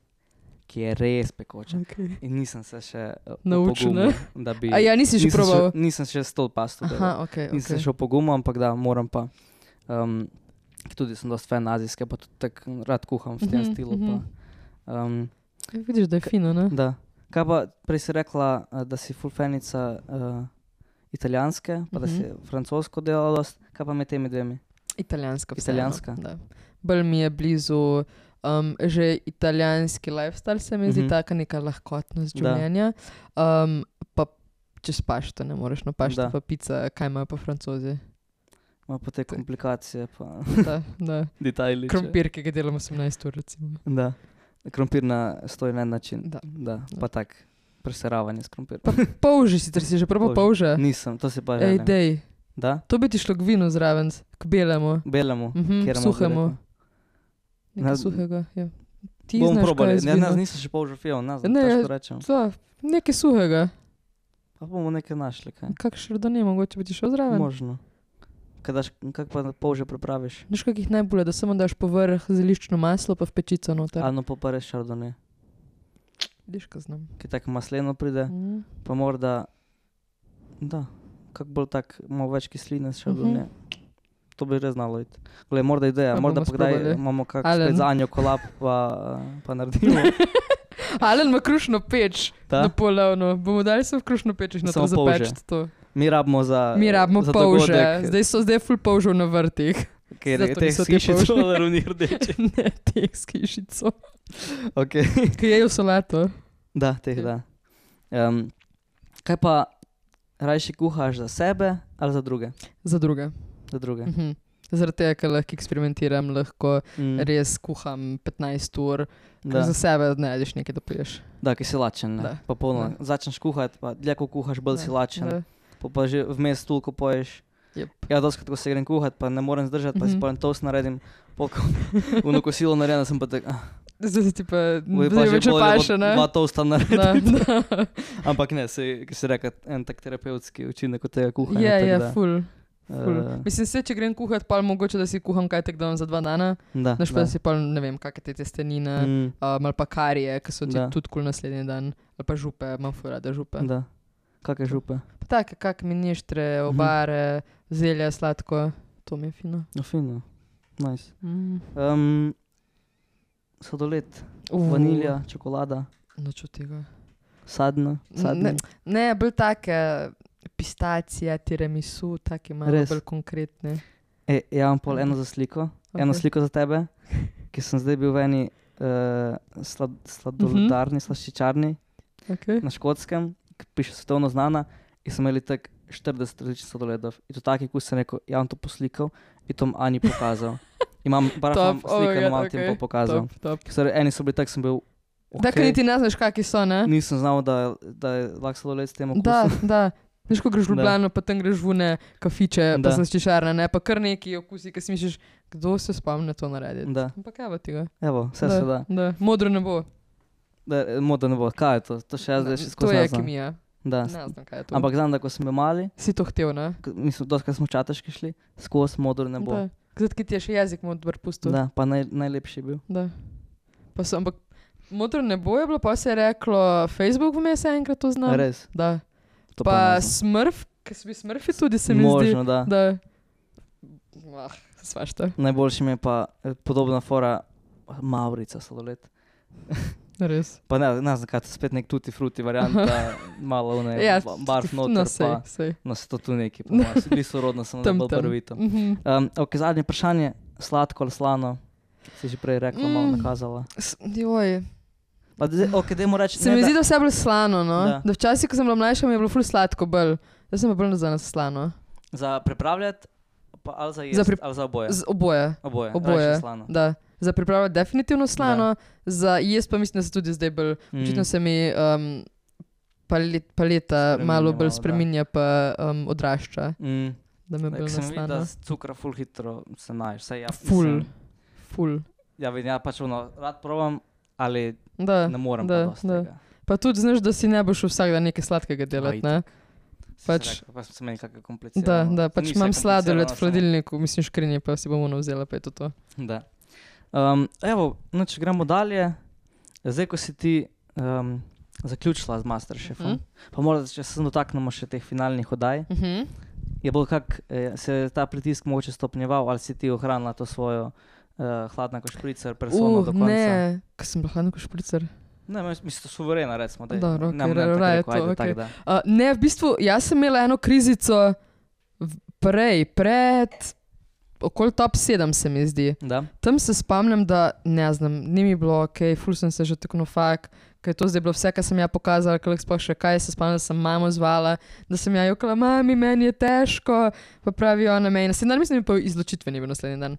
ki je res pekoča. Okay. In nisem se še uh, Naučil, opogumil, da bi... A ja, nisi že nisem probal? Še, nisem še s to pasto delal. Aha, ok, Nisem ok. se še opogumil, ampak da, moram pa. Um, tudi sem dosti fan azijske, pa tudi tako rad kuham v tem Mhm, stilu. mhm. Pa, Um, Vidiš, da je fino, ne? da. Kaj pa, prej si rekla, da si full fanica uh, italijanske, pa da si Mhm. francosko delala dost. Kaj pa med temi dvemi? Italijanska. vseeno, Italijanska. Da. Bolj mi je blizu um, že italijanski lifestyle, se mi zdi Mhm. taka neka lahkotnost Da. življenja. Um, pa čez pašto ne moreš, no pašto Da. pa pica, kaj imajo pa francozi. Ma pa te komplikacije, pa Da, da. detajli. Krompir, ki ga delamo osemnajst ur, recimo. Da. Krompir na stoji na en način. Da. Da. Pa tak, preseravanje s krompirjem. Pa polži sicer si že probal Polži. polže. Nisem, to si pa Ej, želim. dej. Da? To bi ti šlo k vinu zraven, k belemu. Belemu, Mhm, kjeremu suhemu. bi rekel. Nekaj Ne- suhega, ja. Ti Bom znaš, probal, kaj je ne, z ne, vinom. nisem še polžo fijal, ne znam, Ne, težko ja- rečem. To, nekaj suhega. Pa bomo nekaj našli, kaj? Kak šardone, mogoče bi ti šel zraven. Možno. Kaj daš, kak pa polže pripraviš? Veš, kakih najbolje, da samo daš povrh zeliščno maslo, pa v pečico noter. Ano pa pa res šardone. Vidiš, kaj znam. Ki tako masleno pride, Mhm. pa morda, da, kak bolj tak, malo več kisline s šardone. To bi res znalo iti. Glej, morda ideja, Pa morda bomo pa kdaj sprobali. imamo kak Alen. spet za Anjo kolab, pa, pa naredimo. Alen ima krušno peč Ta? na polovno. Bomo dali se v krušno peč in Samo to polže. zapeč to. Mi rabimo za Mi rabimo za polže. dogodek, Zdaj so zdaj ful polžev na vrtih. ker zato je teh niso te skišic polže. solaruni rdeči. Ne, teh s kišico. Okay. Ki jejo solato. Da, teh da. Um, kaj pa, rajši kuhaš za sebe ali za druge? Za druge. Za druge. Mhm. Zaradi tega, ker lahko eksperimentiram, lahko Mm. res kuham petnajst ur, Da. ker za sebe ne najdeš nekaj, da poješ. Da, ki si lačen, ne? Da. Pa polno. Da. Začneš kuhati, pa dlje ko kuhaš, bolj Da, si lačen. da. Pa, pa že vmes toliko poješ. Jep. Ja, doskrat, ko se grem kuhat, pa ne morem zdržati, pa si Mhm. pa en toast naredim, polko uno kosilo naredim, sem pa tak, ah, Zdaj se ti pa boj pa zdaj že več bolje, da paše, bo ne? dva toasta naredim. Da, da. Ampak ne, se, ki si rekel, en tak terapevtski učinek od tega kuhanja. Je, tako je, da, ful. ful. eh, Mislim, se, če grem kuhat, pa mogoče, da si kuham kaj tak dan za dva dana, Da, znaš pa da. da si pa, ne vem, kakšne te testenine, Mm, um, ali pa karije, ki so ti Da. tudi kul naslednji dan, ali pa župe, imam ful rada župe. da. Kakšne župe? Pa take, kak mineštre, obare, zelje, sladko, to mi je fino. No, fino. Nice. Mm. Um, sladoled, Uh, vanilja, čokolada, Noč od tega. sadno, sadno. Ne, ne, bolj take pistacije, tiramisu, take malo Res? bolj konkretne. E, ja, imam pol eno za sliko, okay. eno Ok. sliko za tebe, ki sem zdaj bil v eni uh, slad, sladoledarni, slaščičarni Okay. na Škotskem, ki piše svetovno znana, in smo imeli tak štirideset različnih sladoledov. In to taki, ko sem rekel, ja, bom to poslikal in to bom Ani pokazal. Imam bar Top, sliko, oh my imam God, ti okay. pa pokazal. Top, top. Ker so re- eni so bili tak, sem bil, Da, ker okej, niti ne znaš, kakšni so, ne? nisem znal, da, da je lahko sladoled s tem okusom. Da, da. Veš, ko greš v Da. Ljubljano, pa tam greš v une kafiče, pa Da. slaščičarne, ne? Pa kar neki okusi, ki si misliš, kdo se spomne to narediti. Da. Ampak evo tega. Evo, vse se da. Da. Modro ne bo. Da, moda ne bo. Kaj je to? To še jaz zdaj še To skozi je ne znam. kemija. Da. Ne znam, kaj je to. Ampak znam, da ko smo bili mali, Si to htel, ne? k- mislim, doskrat smo v Čateški šli, skozi modro ne bo. Da. Zdaj, ki ti je še jezik modr pustil. Da, pa naj, najlepši je bil. Da. Pa so, ampak modro ne bo je bilo, pa se je reklo, Facebook vmes je enkrat to znal. Res. Da. To Pa ne znam. smrf, ki so bili smrfi tudi, se mi zdi. Možno, da. Da. Ah, svašta. Najboljši mi je pa eh, podobna fora Maurica sladoled. Res. Pa ne, ne znam, kaj je to spet nek tutti frutti varianta, malo ne, Ja, ba- barf no, noter, sej, pa sej. no se to tu neki, pa malo, si bili sorodno, samo da Tam, bolj tam. prvito. Mhm. Um, ok, zadnje vprašanje, sladko ali slano? Si že prej rekla, malo Mm. nakazala. S- Joj. Pa zdaj, ok, dajmo reči, Se ne mi da- zdi, da vse je bilo slano, no? Da. Da včasih, ko sem bila mlajša, mi je bilo ful sladko bolj. Zdaj sem pa bolj nazaj na slano. za pripravljati, pa ali za jesti, Za pri- ali za oboje? Z oboje. Oboje, Oboje. rajši slano. Da. Za pripravljati definitivno slano, za jesti pa mislim, da se tudi zdaj bolj, Mm. očitno se mi um, palet, paleta Spreminja malo bolj malo, da. spreminja, pa um, odrašča, Mm. da me bolj Ker se mi vidi, da naslano. s cukra ful hitro se naješ. Saj ja, Ful, mislim, ful. ja, vidim, ja pač ono, rad probam, ali Da, ne morem da, pa dosti da. tega. Pa tudi znaš, da si ne boš vsak dan nekaj sladkega delati, ne? Si Pač- se rekel, pa sem se meni kakšno Da, komplicirano. da, To pač ni imam vse sladoled komplicirano, v hladilniku, mislim škrinje, pa si bom ono vzela, pa je to to. samo- Da. Um, evo, no, če gremo dalje, zdaj, ko si ti um, zaključila z Masterchefom, Mhm. pa morda, če se dotaknemo še teh finalnih oddaj, Mhm. je bolj kak, eh, se je ta pritisk mogoče stopnjeval, ali si ti ohranila to svojo uh, hladna kot špricer, persono Uh, do konca. ne, kaj sem bila hladna kot špricer. Ne, mislim, to suverena, recimo. Dej. Dobro, Ne, okej, ne, tako raje rekel, to, ajde, okej. tak, da. Uh, ne, v bistvu, jaz sem imela eno krizico v- prej, pred, okoli top sedem se mi zdi. Da? Tam se spomnim, da ne znam, ni mi bilo ok, ful sem se že tako no fak, ker je to zdaj bilo vse, kar sem ja pokazala, ker sploh še kaj, se spomnim, da sem mamo zvala, da sem ja jokala, mami, meni je težko, pa pravi ona meni, naslednji dan, mislim, da pa izločitve ni bil naslednji dan.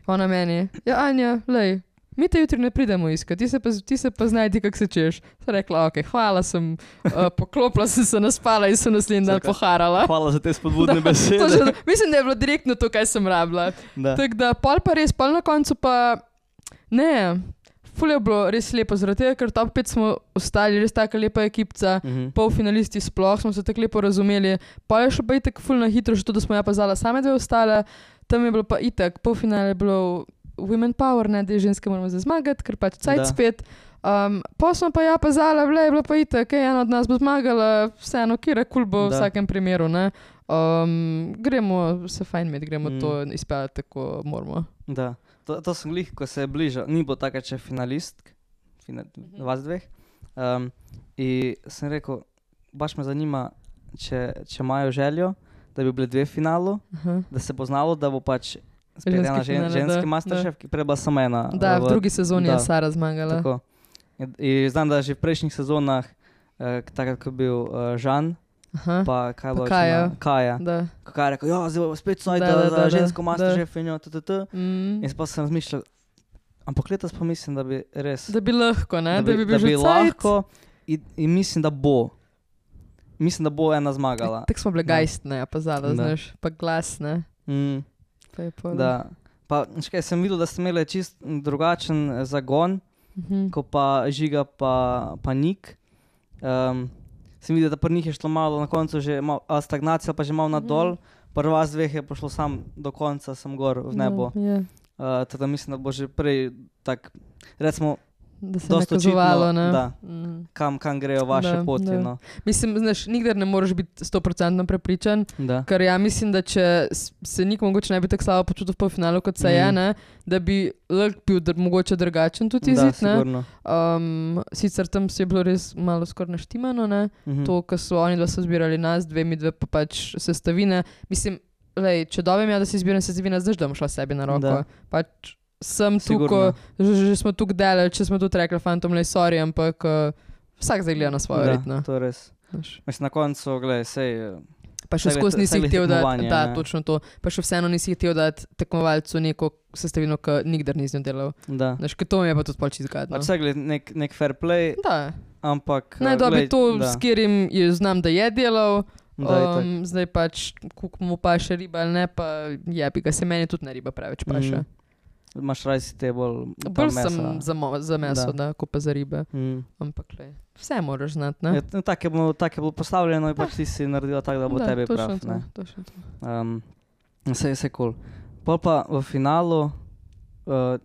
Ona meni, ja Anja, lej, mi te jutri ne pridemo iskati, ti se pa, ti se pa znajdi, kako se češ. Sem rekla, ok, hvala, sem uh, poklopila, sem se naspala in sem naslednji dan poharala. Hvala za te spodbudne besede. Točno, mislim, da je bilo direktno to, kaj sem rabila. Da. Tako da, pol pa res, pol na koncu pa, ne, ful je bilo res lepo, zaradi tega, ker top pet smo ostali, res taka lepa ekipca, Mhm. polfinalisti sploh, smo se tako lepo razumeli, pa je še pa itak ful na hitro, že to, da smo ja pazala same dve ostale, tam je bilo pa itak, polfinale je bilo Women Power, ne, da je ženske moramo zdaj zmagati, ker pač cajt Da. spet. Um, pa smo pa ja pazala, vle, je bilo pa itak, ej, ena od nas bo zmagala, vseeno, kjer kul bo v Da. vsakem primeru, ne. Um, gremo se fajn imeti, gremo Mm. mm. to izpeljati, tako moramo. Da. To, to sem glih, ko se je bližal, ni bilo taka, če finalistk, fina, Mhm. vas dveh. Um, in sem rekel, baš me zanima, če, če imajo željo, da bi bile dve v finalu, Aha. da se bo znalo, da bo pač spet Ženski ena žen, finale, ženski da, masterchef, ki prej bila samo ena. Da, uh, v drugi sezoni da. je Sara zmagala. Tako. In, in znam, da že v prejšnjih sezonah, uh, takrat, ko je bil uh, Žan, Aha. pa kaj je Pa bilo? še Kaja. na- Kaja. Da. Ko Kaja je rekel, ja, zdaj bo spet snoj, Da, da, da, da, da, za da, žensko da. masterchef in jo, ttt. Mm. In pa sem razmišljal, ampak letos pa mislim, da bi res, Da bi lahko, ne? da bi, da bi bil da bi že cajt. lahko in, in mislim, da bo. Mislim, da bo ena zmagala. Tako smo bile Da. gajstne, ja, pa zada, Da. znaš, pa glasne. Mm, Pa je pol. da. Pa škaj, sem videl, da ste imeli čist drugačen eh, zagon, Mhm. ko pa Žiga pa, pa Nik. Um, sem videl, da pri njih je šlo malo na koncu že malo, a stagnacija, pa že malo nadol. Pri vas dveh je pošlo sam do konca, sem gor v nebo. Ja, ja. Uh, tako da mislim, da bo že prej tak, recimo, Da se je dosti nakazovalo, očitno, ne? da. Mm. kam, kam grejo vaše Da, poti. da. No. Mislim, znaš, nikdar ne moreš biti sto procentno prepričan, Da. ker ja mislim, da če s- se nik mogoče ne bi tako slabo počutil v polfinalu, kot se je, Mhm. ne, da bi lahko bil dr- mogoče drugačen tudi Da, izid, ne. sigurno. Um, sicer tam si je bilo res malo skoraj naštimano, ne. Mhm. To, ko so oni dva so zbirali nas, dve mi dve pa pač sestavine. Mislim, lej, če dobim ja, da si izbiram sestavine, znaš, da bom šla sebi na roko. Da. Pač sem Sigurno. tukaj, že, že smo tukaj delali, če smo tudi rekli, fantom, lej, sorry, ampak uh, vsak zdaj gleda na svojo Da, ritno. to je res. Mislim, na koncu, gledaj, sej, eh, Pa še Vse skozi gled- nisi vse gled hotel dati, tekmovanje, da, ne. točno to. Pa še vseeno nisi hotel dati tekmovalcu neko sestavino, ki nikdar nisi z njo delal. da. Znaš, ker to mi je pa tudi pol čisto gadno. Pač vse gled nek, nek fair play, Da, ampak... naj eh, dobi glej, to, da, s katerim je znam, da je delal. da, itak. Um, zdaj pač, koliko mu pa še riba ali ne, pa je, bi ga se meni tudi ne riba preveč paše. Mhm. Imaš raj si te bolj tam Bolj mesa. sem za, mo- za meso, da, ko pa za ribe. Mm. Ampak lej, vse moraš znati, ne? Ja, no, tako je bilo, tak je bilo postavljeno in pač ti si naredila tako, da bo tebi točno prav. to, Ne? točno to. Um, vse je vse kul. Cool. Pol pa v finalu, uh,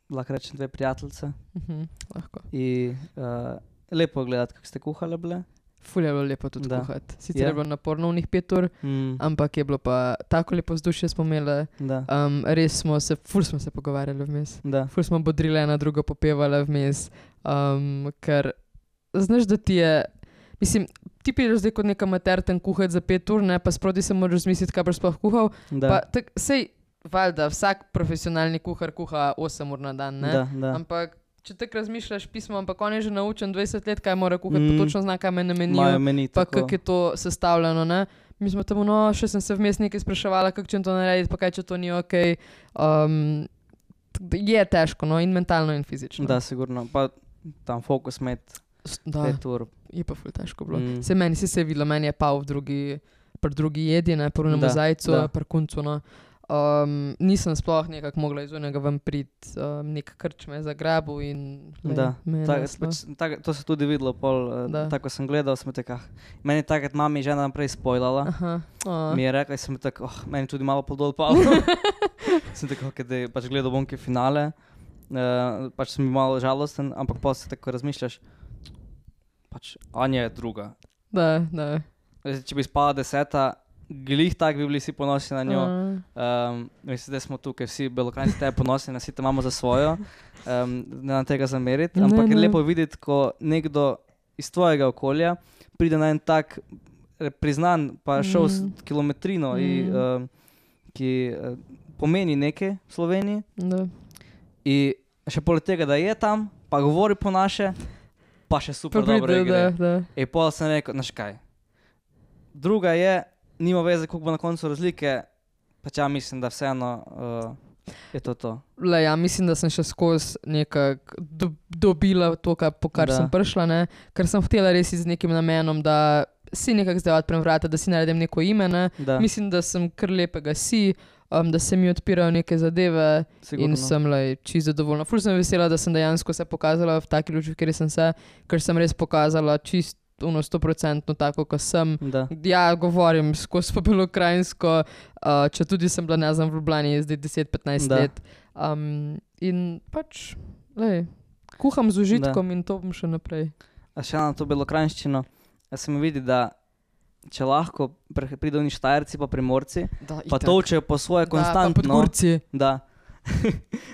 lahko rečem dve prijateljice Mhm, lahko. in uh, lepo je gledati, kako ste kuhale bile. Ful je bilo lepo tudi Da. kuhati. Sicer Je. je bilo naporno v njih pet ur, Mm, ampak je bilo pa tako lepo vzdušje smo imeli. da, Um, res smo se, ful smo se pogovarjali vmes. da. Ful smo bodrile ena drugo popevali vmes. Um, ker znaš, da ti je, mislim, ti prideš zdaj kot neka mater tam kuhati za pet ur, ne, pa sproti se moraš zmisliti, kaj boš sploh kuhal. da. Pa tak, sej, valjda, vsak profesionalni kuhar kuha osem ur na dan, ne? Da, da. Ampak če tako razmišljaš pismo, ampak on je že naučen dvajset let, kaj mora kuhati, Mm. pa točno zna, kaj me Imajo namenijo, meni pa tako. kako je to sestavljeno, ne? Mi smo tam, no, še sem se vmes nekaj spraševala, kako če to narediti, pa kaj če to ni ok. Um, je težko, no, in mentalno, in fizično. Da, sigurno. Pa tam fokus med S- Da, pet ur. je pa ful težko bilo. Mm. Mm. Se meni si se je videlo, meni je pal v drugi, pri drugi jedi, ne, pri unem Da, zajcu, da. pri kuncu, no. Um, nisem sploh nekako mogla iz unega ven priti, um, nek krč me je zagrabil in lej, Da, me je Ta, neslo. pač, tak, to se tudi videlo, pol, eh, Da. tako sem gledal, sem tako, meni je takrat mami že naprej spojlala. Aha. Oh. Mi je rekla, in sem tako, oh, meni tudi malo podol pal. sem tako, okay, da pač gledal bom kaj finale, uh, pač sem bil malo žalosten, ampak pa se tako razmišljaš, pač Anja je druga. Da, da. Zdaj, če bi spala deseta, glih tak bi bili vsi ponosni na njo. Uh, Um, mislim, da smo tukaj vsi Belokranjci tebe ponosni, nas te imamo za svojo, um, ne nam tega zameriti, ampak Ne, je ne. lepo videti, ko nekdo iz tvojega okolja pride na en tak eh, priznan, pa šel s Mm. kilometrino, Mm. i, um, ki uh, pomeni nekaj v Sloveniji. Da. In še poleg tega, da je tam, pa govori po naše, pa še super Pa dobro pride, gre. da, da. In pol sem rekel, znaš kaj, druga je, nima veze, koliko bo na koncu razlike, pač ja mislim, da vseeno uh, je to to. Le, ja, mislim, da sem še skozi nekako do, dobila to, kar, po kar Da. sem prišla, ne? Ker sem hotela res z nekim namenom, da si nekako zdaj odprem vrata, da si naredim neko ime. Ne? Da, Mislim, da sem kar lepega si, um, da se mi odpirajo neke zadeve sigurno. in sem le čisto zadovoljna. Ful sem vesela, da sem dejansko se pokazala v taki luči, v kateri sem se, ker sem res pokazala čisto ono sto procentno tako, kot sem. Da. Ja, govorim skozi po Belokranjsko, uh, če tudi sem bila, ne znam, v Ljubljani zdaj deset petnajst Da. let. Um, in pač, lej, kuham z užitkom in to bom še naprej. A še na to Belokranjščino, se mi vidi, da če lahko pre- pridejo oni Štajerci pa Primorci, Da, pa točejo po svoje Da, pa konstantno. Podgorci. Da.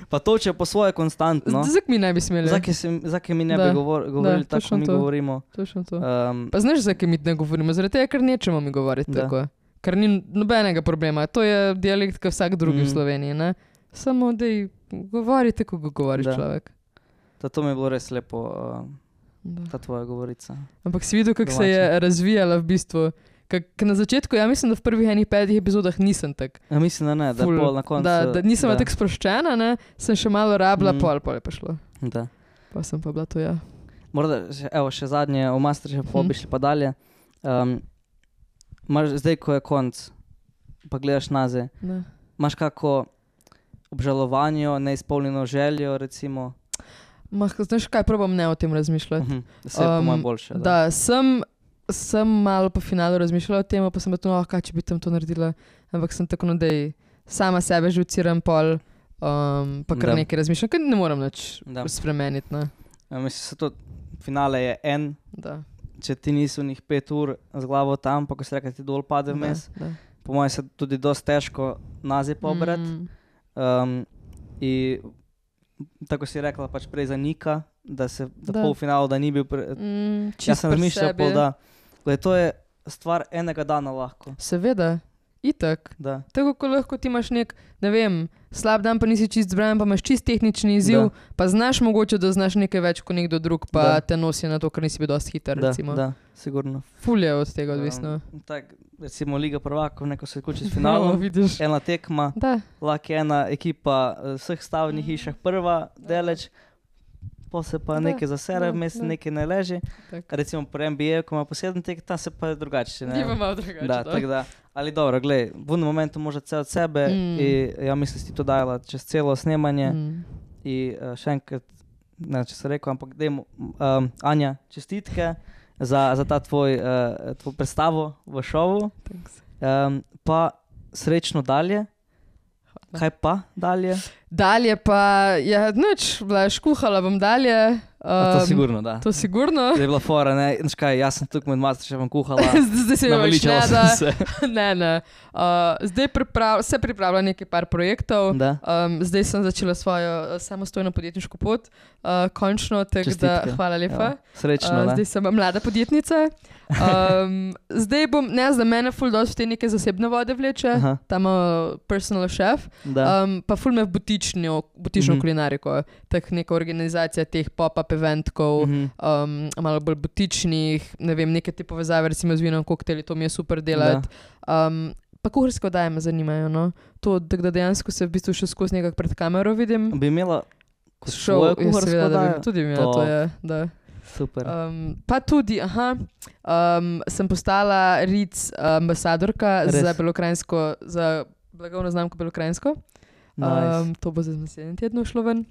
Pa točejo po svoje konstantno. Zakaj mi ne bi smeli? Zakaj, se, zakaj mi ne Da, bi govor, govorili tako, točno kot mi to. govorimo? Točno to. Um, Pa znaš, zakaj mi ne govorimo? Zaradi tega, ker nečemo mi govoriti Da. tako. Ker ni nobenega problema. To je dialekt, kot vsak drugi Mm. v Sloveniji. Ne? Samo, da govorite, ko ga govoriš Da. človek. to mi je bilo res lepo, uh, Da. ta tvoja govorica. Ampak si videl, kako se Domače. je razvijala v bistvu. Kak, na začetku, ja mislim, da v prvih enih petih epizodah nisem tak. Ja, mislim, da ne, da ful- pol na koncu. Da, da nisem bila da, tako sproščena, ne? Sem še malo rabila, Mm. mm. pol, pol je pa šlo. da. Pa sem pa bila to ja. Morda, še, evo, še zadnje, v Masterchefu Mhm. bi šli pa dalje. Um, imaš, zdaj, ko je konc, pa gledaš nazaj, Ne. imaš kako obžalovanje, neizpolnjeno željo, recimo? Mah, znaš kaj, probam ne o tem razmišljati. Mhm, da se je po Um, mojem boljše. Da, sem, sem malo po finalu razmišljala o tem, pa sem bila tu, no, kaj če bi tam to naredila. Ampak sem tako, no, da sama sebe žuciram pol, um, pa kar Da. nekaj razmišljam, ker ne morem nič Da. spremeniti. Ne? Ja, mislim, se to finale je en, Da. če ti nisi v njih pet ur z glavo tam, pa ko se reka ti dol pade vmes. Da, da. Po mojem se tudi dosti težko nazaj pobrati. Mm, Um, in tako si rekla, pač prej zanika, da se da Da. pol finalu, da ni bil. Pre... mm, Jaz čisto sem pri razmišljal, sebi. pol, da gled, to je stvar enega dana lahko. Seveda, itak. Da. Tako kot lahko ti imaš nek, ne vem, slab dan, pa nisi čist zbran, pa imaš čist tehnični izziv, Da. pa znaš mogoče, da znaš nekaj več kot nekdo drug, pa Da. te nosi na to, ker nisi bil dosti hiter. Da, recimo. da, sigurno. Ful je od tega odvisno. Um, tak, recimo Liga prvakov, neko se vključi s No, finalom, vidiš. ena tekma, Da, lahko je ena ekipa eh, vseh stavnih hišah prva, deleč, pa se pa Da, nekaj zasere, da, vmes da. nekaj ne leži. tako. Recimo pri N B A, ko ima poseben tek, tam se pa je drugače. ne. Ni pa malo drugače. Da, da. tako da, ali dobro, glej, v enem momentu može vse od sebe Mm. mm. in ja mislim, da si to dajala čez celo snemanje mm. Mm. in uh, še enkrat, ne če se rekel, ampak dajmo, um, Anja, čestitke za, za ta tvoj, uh, tvoj predstavo v šovu, Thanks. um, pa srečno dalje. Kaj pa dalje? Dalje pa, ja, nič, bila škuhala bom dalje. A to Um, sigurno, da. To sigurno. Zdaj je bila fora, ne, znaš kaj, jaz sem tukaj med Masterchefom kuhala, Zdaj se mi naveličala več ne sem da. se. Ne, ne. Uh, zdaj priprav, se pripravlja nekaj par projektov. Da. Um, zdaj sem začela svojo uh, samostojno podjetniško pot, uh, končno, tako da Čestitke. hvala lepa. Ja, srečno, Uh, ne. zdaj sem mlada podjetnica. Um, zdaj bom, ne, za mene ful dosti te neke zasebne vode vleče, Aha, tam uh, personal chef, da. um, pa ful me v butično, butično Mhm. mm. kulinariko, tak neka organizacija teh pop-up eventkov, Mhm. um, malo bolj butičnih, ne vem, neke te povezave, recimo z vinom, koktejli, to mi je super delati. Um, pa kuharske oddaje me zanimajo, no. To, da da dejansko se v bistvu še skozi nekako pred kamero vidim. Bi imela kot Šov, svojo ja, kuharsko seveda, da bi oddajo? tudi imela, To. to je, da. Super. Um, pa tudi, aha, um, sem postala R I C ambasadorka Res? za Belokranjsko, za blagovno znamko Belokranjsko. Nice. Um, to bo za naslednji teden šlo ven.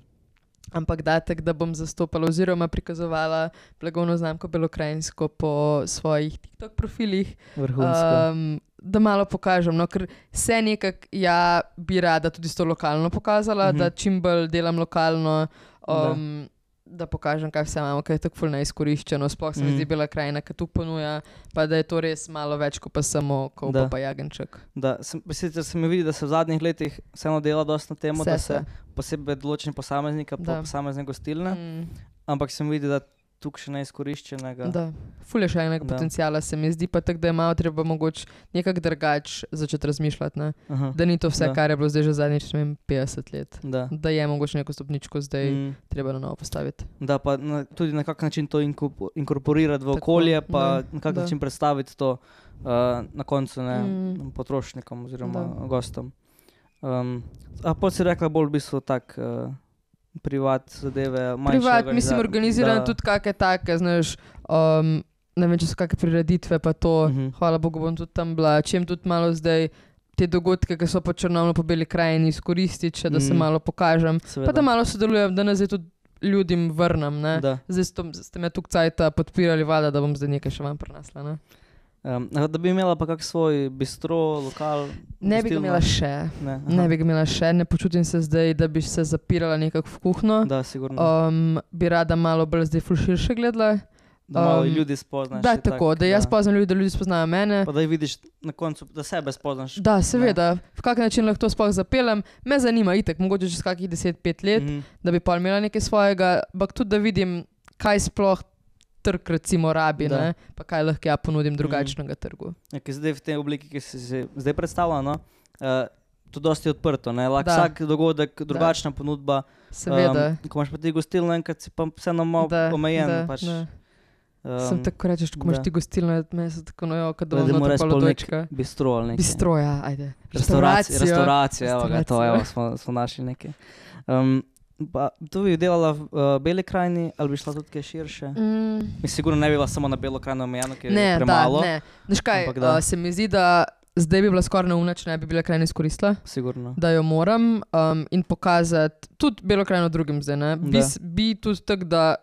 Ampak datek, da bom zastopala oziroma prikazovala blagovno znamko Belokranjsko po svojih TikTok profilih. Vrhunsko. Um, da malo pokažem, no, ker se nekako ja bi rada tudi s to lokalno pokazala, Mhm. da čim bolj delam lokalno. Um, da pokažem, kaj vse imamo, kaj je tako ful neizkoriščeno. Sploh se mi Mm. zdi Bela krajina, ki tu ponuja, pa da je to res malo več kot pa samo Da. Kolpa pa jagenček. Da, sem, sicer se mi vidi, da se v zadnjih letih vseeno dela dosti na temo, Vse da se. se posebej določeni posameznika pa Da. posamezne gostilne, Mm, ampak se mi vidi, da tukaj še neizkoriščenega. da. Ful je še enega Da. potencijala, se mi zdi pa tako, da je malo treba mogoče nekako drugače začeti razmišljati, ne? Aha, Da ni to vse, Da. kar je bilo zdaj že zadnjič, ne vem, petdeset let. da. Da je mogoče neko stopničko zdaj mm. Mm, treba na novo postaviti. da pa na, tudi na kak način to inko- inkorporirati v Tako, okolje, pa da, na kak da. način predstaviti to uh, na koncu ne, Mm. potrošnikom oziroma Da. gostom. Um, a pa si rekla bolj v bistvu tak uh, privat zadeve, manjše Privat, mislim, organiza- organiziran da. tudi kakšne take, znaš, um, ne vem, če so kakšne prireditve, pa to, Mhm. hvala Bogu, bom tudi tam bila, čem tudi malo zdaj te dogodke, ki so po Črnomlju, po Beli krajini, izkoristiti, še, da se Mhm. malo pokažem, Seveda. pa da malo sodelujem, da nazaj tudi ljudem vrnem, ne. Da. Zdaj ste, ste me tukaj cajta podpirali, vada, da bom zdaj nekaj še vam prenesla, ne. Um, da bi imela pa kak svoj bistro, lokal. Ne bi ga gostilno? imela še, Ne, ne bi ga imela še, ne počutim se zdaj, da bi se zapirala nekako v kuhno. Da, sigurno. Um, bi rada malo bolj zdaj ful širše gledala. Da malo um, ljudi spoznaš. Da, je tako, tak, da jaz poznam ljudi, da ljudi spoznajo mene. Pa da jih vidiš na koncu, da sebe spoznaš. Da, seveda, v kak način lahko to sploh zapeljem, me zanima itek, mogoče čez kakih deset pet let, Mhm. da bi pa imela nekaj svojega, ampak tudi da vidim, kaj sploh trg recimo rabi, Da. ne, pa kaj lahko ja ponudim drugačnega trgu. Ja, ki zdaj v tej obliki, ki si se zdaj predstavlja, no, uh, to dosti odprto, ne, lahko Da. vsak dogodek, drugačna ponudba. Seveda. Um, ko imaš pa ti gostilno, enkrat si pa vseeno malo Da, omejen. da, pač, da. um, Sem tako rečeš, ko imaš da. ti gostilno, meni se tako nojo, kad da da moraš bom pol nek točka. bistro ali nekaj. Bistroja, ajde. Restauracija, restauracija, evo ga, to, Restauracijo. evo, smo, smo našli nekaj. Um, pa, tu bi delala v uh, Beli krajini, ali bi šla tudi kaj širše? Mm. Mislim, sigurno ne bi bila samo na Belo krajino omejeno, ker Ne, je da, premalo. ne. Veš kaj, Ampak da. uh, se mi zdi, da zdaj bi bila skoraj neumna, če ne bi Bela krajina izkoristila. Sigurno. Da jo moram um, in pokazati tudi Belo krajino drugim zdaj. Ne? Bi, Da. s- bi tudi tako, da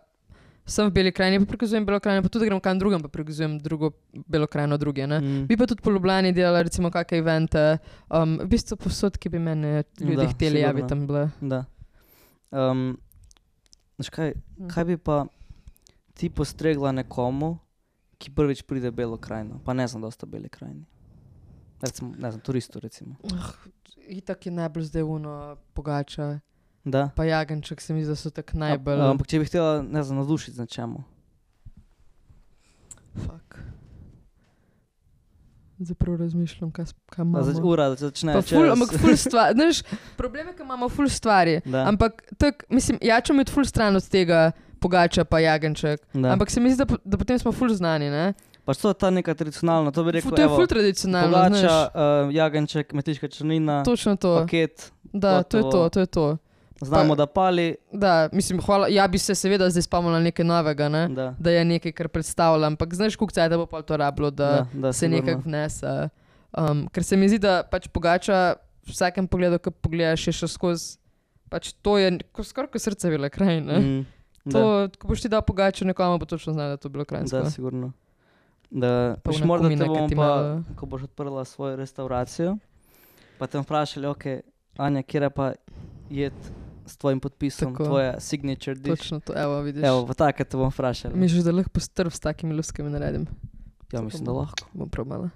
sem v Beli krajini, pa prikazujem Belo krajino, pa tudi grem kam drugam, pa prikazujem drugo Belo krajino druge. Ne? Mm. Bi pa tudi po Ljubljani delala recimo kakšne evente, um, v bistvu posod, ki bi mene ljudje Da, hteli, ja bi sigurno. tam bile. Da. Um, znaš kaj, kaj bi pa ti postregla nekomu, ki prvič pride v Belo krajino, pa ne znam dosta Beli krajini. Recimo, ne znam, turistu recimo. Itak je najbolj zdaj uno pogača, Da. pa jagenček se mi zdi, da so tako A- najbolj. Ampak če bi htela, ne znam, navdušiti z nečemu. Fuck. Zdaj prav razmišljam, kaj, s- kaj Da zač- imamo. Ura, da začne. Pa ful, čez- ampak ful stvari. Znaš, problem je, ker imamo ful stvari. Da. Ampak tak, mislim, jačem je ful stran od tega pogača pa jagenček. Da. Ampak se mi zdi, da, po- da potem smo ful znani, ne? Pač to je ta neka tradicionalna, to bi rekel, Ful, to je evo, ful tradicionalno, pogača, znaš. uh, jagenček, metiška črnina, Točno to. paket, Da, to je gotovo. to, to je to. znamo, Pa- da pali, Da, mislim, hvala, ja bi se seveda zdaj spomnila nekaj novega, ne? da, Da je nekaj, kar predstavljam, ampak znaš, koliko cajta bo pa to rabilo, da, da, da, se sigurno. nekako vnese. Um, ker se mi zdi, da pač pogača v vsakem pogledu, ko pogledaš, je še skozi, pač to je ko- skoraj kot srce Bele krajine. Mm, da. To, ko boš ti dal pogačo nekomu, bo točno znal, da je to bilo krajinsko. Da, sigurno. Da, Pa pač one morda te kumine, ki bomo ti pa, malo- ko boš odprla svojo restauracijo, pa te bomo vprašali, ok, Anja, kje je pa jed s tvojim podpisom, Tako. tvoja signature dish. Točno to, evo, vidiš. Evo, pa take te bomo vprašali. Misliš, da lahko strv s takimi luskami naredim? Ja, mislim, da lahko. Bom probala.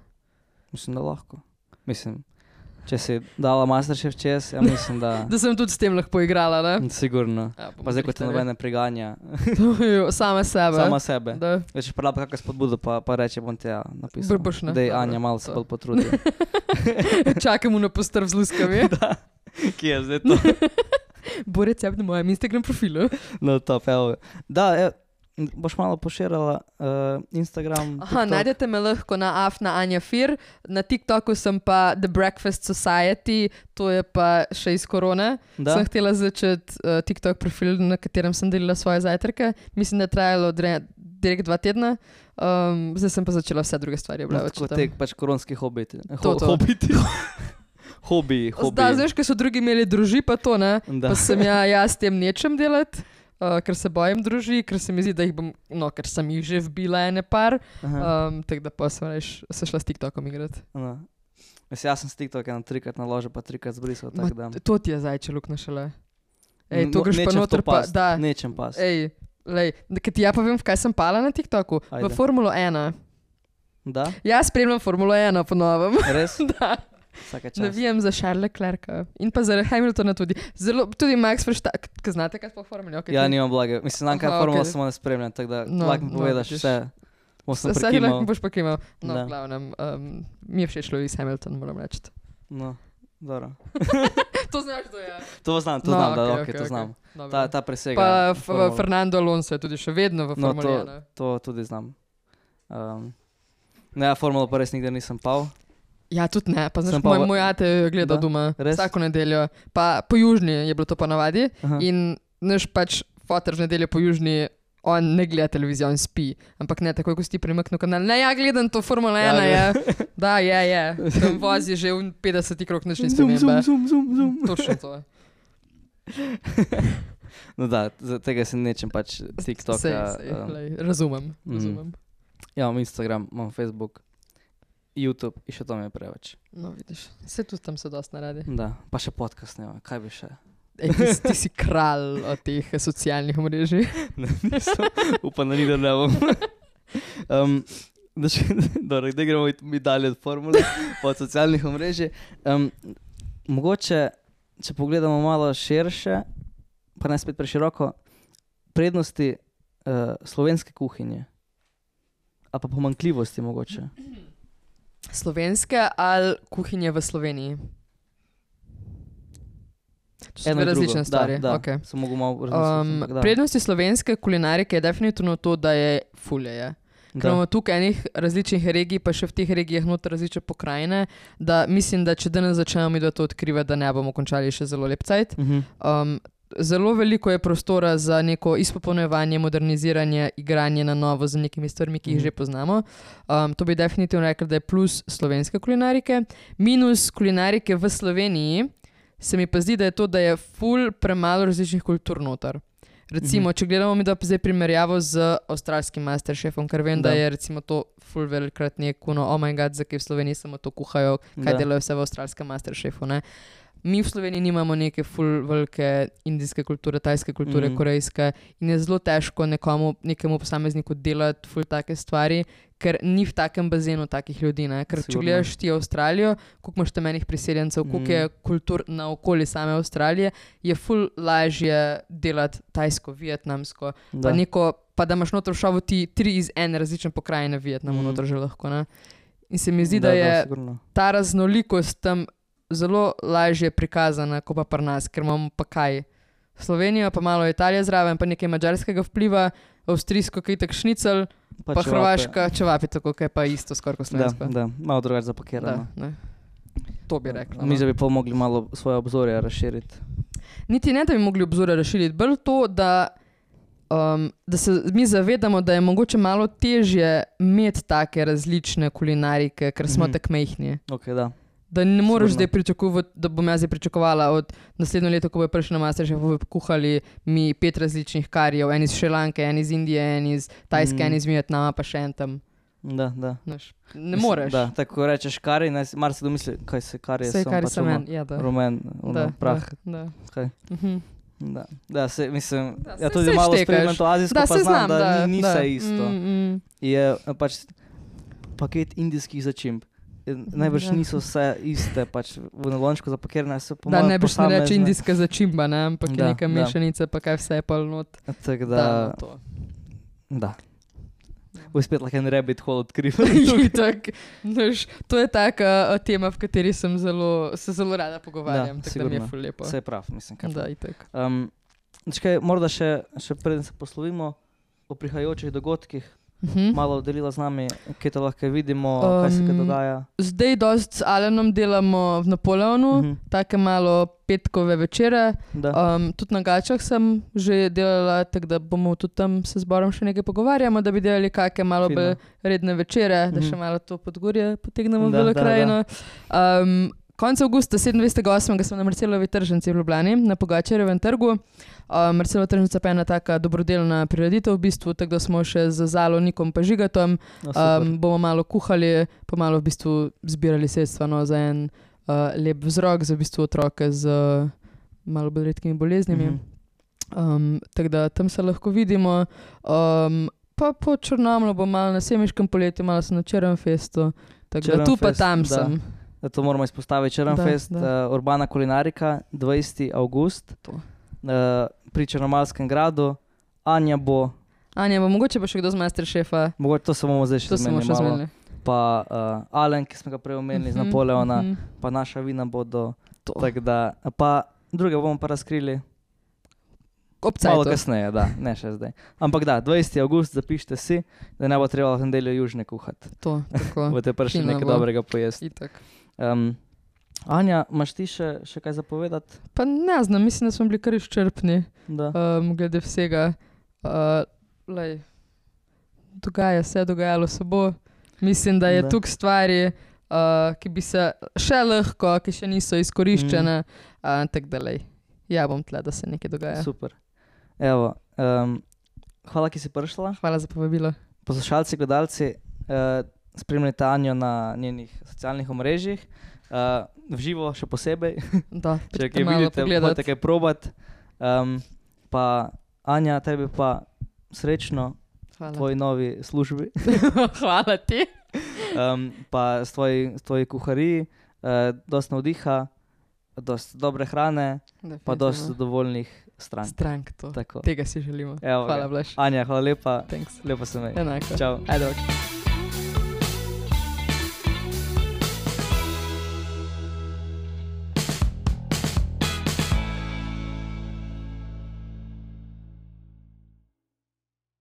Mislim, da lahko. Mislim, če si dala Masterchef čez, ja mislim, da... Da sem tudi s tem lahko igrala, ne? Sigurno. Ja, bomo Pa zdaj, ko te prihtali. nobene priganja, Sama sebe. sama sebe. Da. Če pa raba kakšno spodbudo, pa, pa reče, bom te ja napisal. Boš, ne? Dej, Dobro, Anja, malo se to. bolj potrudi. Čakamo na postrv z luskami. Da. Kje je zdaj to? Bo recept na mojem Instagram profilu. No, top, evo. Da, evo, boš malo poširala uh, Instagram, Aha, TikTok. najdete me lahko na afna Anja Fir, na TikToku sem pa The Breakfast Society, to je pa še iz korone. Da? Sem htela začeti uh, TikTok profil, na katerem sem delila svoje zajtrke. Mislim, da je trajalo dre, direkt dva tedna. Um, zdaj sem pa začela vse druge stvari No, objavljati. tako te pač koronski hobiti. To, to. Hobiti. Hobi, hobi. Da, znaš, ko so drugi imeli druži, pa to ne. Da. Pa sem ja, jaz s tem nečem delati. Uh, ker se bojim druži, ker se mi zdi, da jih bom, no, ker sem jih že vbila ene par, Aha. um, tako da pa sem reš, se šla s TikTokom igrati. No. Mislim, jaz sem s TikTok eno trikrat naložil, pa trikrat zbrisal, Ma, tako da. To ti je zajče luknja šele. Ej, to greš pa Nečem v noter to pa, past, da. Nečem pas. Ej, lej, ker ti ja povem, v kaj sem pala na TikToku. Ajde. V Formulo ena. Da? Jaz spremljam Formulo ena po novem. Res? Da. Vsaka čast. Navijam za Charlesa Leclerca in pa za Hamiltona tudi. Zelo, tudi Max Verstappen, kaj znate, kaj sploh Formula? Okay, Ja, ti- nimam blage. Mislim, znam kaj Aha, formula okej. samo ne spremljam, tako da No, lahko mi no, povedaš vidiš. vse. Bom sem Vse prekimal. lahko boš pa kimal. No, Da. v glavnem, um, mi je všeč Lewis Hamilton, moram reči. No, dobro. To znaš, to je. To znam, to No, znam, da, okej, ok, okej, to okej. znam. Dobro. Ta, ta presega. Pa F- formulo. Fernando Alonso je tudi še vedno v No, Formuli to, ena. to tudi znam. Um, ne, ja, formulo pa res nikdar nisem pal. Ja, tudi ne. Pa znaš, Sem pa moj, v- moj ate gleda Da? doma Res? vsako nedeljo. Pa po južni je bilo to pa navadi. Aha. In naš pač foter v nedeljo po južni, on ne gleda televizijo, on spi. Ampak ne, takoj ko si ti premaknil kanal. Ne, ja, gledam to Formula Ja, ena, ja. je. Da, je, je. Tam vozi že v petdeseti krog, nič ni Zum, zum, spremembe. zum, zum, zum. Točno to. No da, za tega se nečem pač TikToka. Sej, sej, um, lej, razumem, mm. razumem. Ja, imam Instagram, imam Facebook, YouTube in še to mi je preveč. No, vidiš, vse tudi tam se dosti naredi. Da, pa še podcast ne, kaj bi še. Ej, ti, si- ti si kralj od teh socialnih omrežij. Ne, nisem, upam, da ni da ne bom. Um, da še, dobro, da gremo mi dalje od formule, pa od socialnih omrežij. Um, mogoče, če pogledamo malo širše, pa ne spet preširoko, prednosti uh, slovenske kuhinje. A pa pomanjkljivosti mogoče. Slovenske ali kuhinje v Sloveniji? To so Eno dve in drugo. različne stvari. Da, da. Okay. Sem mogel malo razmisliti. Um, ampak da. prednosti slovenske kulinarike je definitivno to, da je fulje. Ker Da. imamo tukaj enih različnih regij, pa še v teh regijah noter različne pokrajine, da mislim, da če danes začnemo mi da to odkrivati, da ne bomo končali še zelo lep cajt. Mhm. Um, zelo veliko je prostora za neko izpopolnjevanje, moderniziranje, igranje na novo z nekimi stvarmi, ki jih Mhm. že poznamo. Um, to bi definitivno rekel, da je plus slovenske kulinarike. Minus kulinarike v Sloveniji se mi pa zdi, da je to, da je ful premalo različnih kultur noter. Recimo, Mhm. če gledamo mi da zdaj primerjavo z avstralskim masterchefom, ker vem, da, Da. je recimo to ful velikrat neko, no, oh my god, zakaj v Sloveniji samo to kuhajo, kaj Da. delajo vse v avstralskem masterchefu, ne. Mi v Sloveniji nimamo neke ful velike indijske kulture, tajske kulture, Mhm. korejske in je zelo težko nekomu, nekemu posamezniku delati ful take stvari, ker ni v takem bazenu takih ljudi, ne. Ker če Sigurno. gledaš ti Avstralijo, koliko imaš tam enih priseljencev, koliko Mhm. je kultur na okoli same Avstralije, je ful lažje delati tajsko, vietnamsko, Da. pa, neko, pa da imaš noter v šovu ti tri iz ene različne pokrajine Vietnamu Mhm. noter že lahko, ne. In se mi zdi, da, Da, je sigurno. ta raznolikost tam zelo lažje prikazana, kot pa pri nas, ker imamo pa kaj. Slovenijo, pa malo Italije zraven, pa nekaj madžarskega vpliva, avstrijsko kaj tak šnicel, pa, pa čevape. hrvaška čevapi, tako kaj pa isto skoraj kot Da, slovensko. da, malo drugače Da, zapakirano. ne. To bi rekla. Mi No. že bi pa mogli malo svoje obzorje razširiti. Niti ne, da bi mogli obzore razširiti, bolj to, da, um, da se mi zavedamo, da je mogoče malo težje imeti take različne kulinarike, ker smo Mhm. tako majhni. Ok, da. Da ne moreš Sigurno. zdaj pričakovati, da bom jaz zdaj pričakovala od naslednjo leto, ko bo prišel na Masterchef, bodo kuhali mi pet različnih karijev, en iz Šrilanke, en iz Indije, en iz Tajske, Mm. en iz Vietnama, pa še en tam. Da, da. Znaš, ne moreš. Da, tako ko rečeš kari, mar se domisli, kaj se kari je, Vse, sem kar pač sem ono en, ja, da. rumen, ono, Da, prah. Da, da. Kaj? Mhm. Da, da se, mislim, Da, ja saj- tudi saj malo štekaš. spremljam to azijsko, Da, pa se znam, znam, da, da, ni, ni da. vse isto. Mm, mm. Je eh, pač paket indijskih začimb. Eh, Najbrž Ja. niso vse iste, pač v nalončku zapakirane so po Da, mojem ne bi šlo reči posamezne. indijska začimba, ne? Ampak je Da, neka da. mešanica, pa kaj vse je pa not. Tako Da, da, no, to. da. Bo spet lahko en rabbit hole odkrival. Itak, znaš, to je taka uh, tema, v kateri sem zelo, se zelo rada pogovarjam, Da, tako da mi je sigurno. ful lepo. Vse je prav, mislim. Kaj Da, pa. itak. Um, čakaj, morda še, še preden se poslovimo o prihajajočih dogodkih, Mhm. malo delila z nami, kje to lahko vidimo, kaj se kaj Um, dogaja. Zdaj dost s Alenom delamo v Napoleonu, Mhm. take malo petkove večere. Da. Um, tudi na Gačah sem že delala, tako da bomo tudi tam se zborom še nekaj pogovarjamo, da bi delali kakšne malo Fino. bolj redne večere, da Mhm. še malo to podgorje potegnemo v Da, Belo da, krajino. Um, konec avgusta, sedemindvajsetega osmega sem na Marcelovi tržnici v Ljubljani, na Pogačarjevem trgu. Um, Marcelova tržnica pa je ena taka dobrodelna prireditev v bistvu, tako da smo še z Zalo, Nikom pa Žigatom. No, super. Um, bomo malo kuhali, pa malo v bistvu zbirali sredstva no, za en uh, lep vzrok, za v bistvu otroke z uh, malo bolj redkimi boleznimi. Mhm. Um, tako da tam se lahko vidimo. Um, pa po Črnomlju bo malo na Semiškem poletju, malo sem na Črnfestu. Tako da tu pa tam da. sem. Da to moramo izpostaviti. Črnfest, uh, Urbana kulinarika, dvajseti avgust. Uh, pri Črnomalskem gradu. Anja bo. Anja bo, mogoče pa še kdo z Masterchefa. Mogoče to se bomo zdaj še zmenili malo. Zmenili. Pa uh, Alen, ki smo ga prej omenili, uh-huh, z Napoleona, uh-huh. pa naša vina bodo. Tak da, pa druge bomo pa razkrili. Obcajto. Malo kasneje, da, ne še zdaj. Ampak da, dvajseti avgust, zapišite si, da ne bo treba v nedeljo južne kuhati. To, tako. Bote prišli nekaj bo. Dobrega pojesti. Itak. Um, Anja, imaš ti še, še kaj zapovedati? Pa ne znam, mislim, da smo bili kar izčrpni. Um, glede vsega. Uh, lej, dogaja se, dogajalo se bo. Mislim, da je tukaj stvari, uh, ki bi se še lahko, ki še niso izkoriščene. Mm. Uh, tak da lej, ja bom tle, da se nekaj dogaja. Super. Evo, um, hvala, ki si prišla. Hvala za povabilo. Poslušalci, gledalci, uh, spremljajte Anjo na njenih socialnih omrežjih. Uh, v živo še posebej. Da, če kaj vidite, morate kaj probat. Um, pa Anja, tebi pa srečno v tvoji novi službi. Hvala ti. um, pa s tvoji, s tvoji kuhariji, uh, dost navdiha, dost dobre hrane, definitivno. Pa dost zadovoljnih strank. Strank, to. Tako. Tega si želimo. Evo, hvala, Blaž. Anja, hvala lepa. Thanks. Lepo se mej. Enako. Čau. Ajde, ok.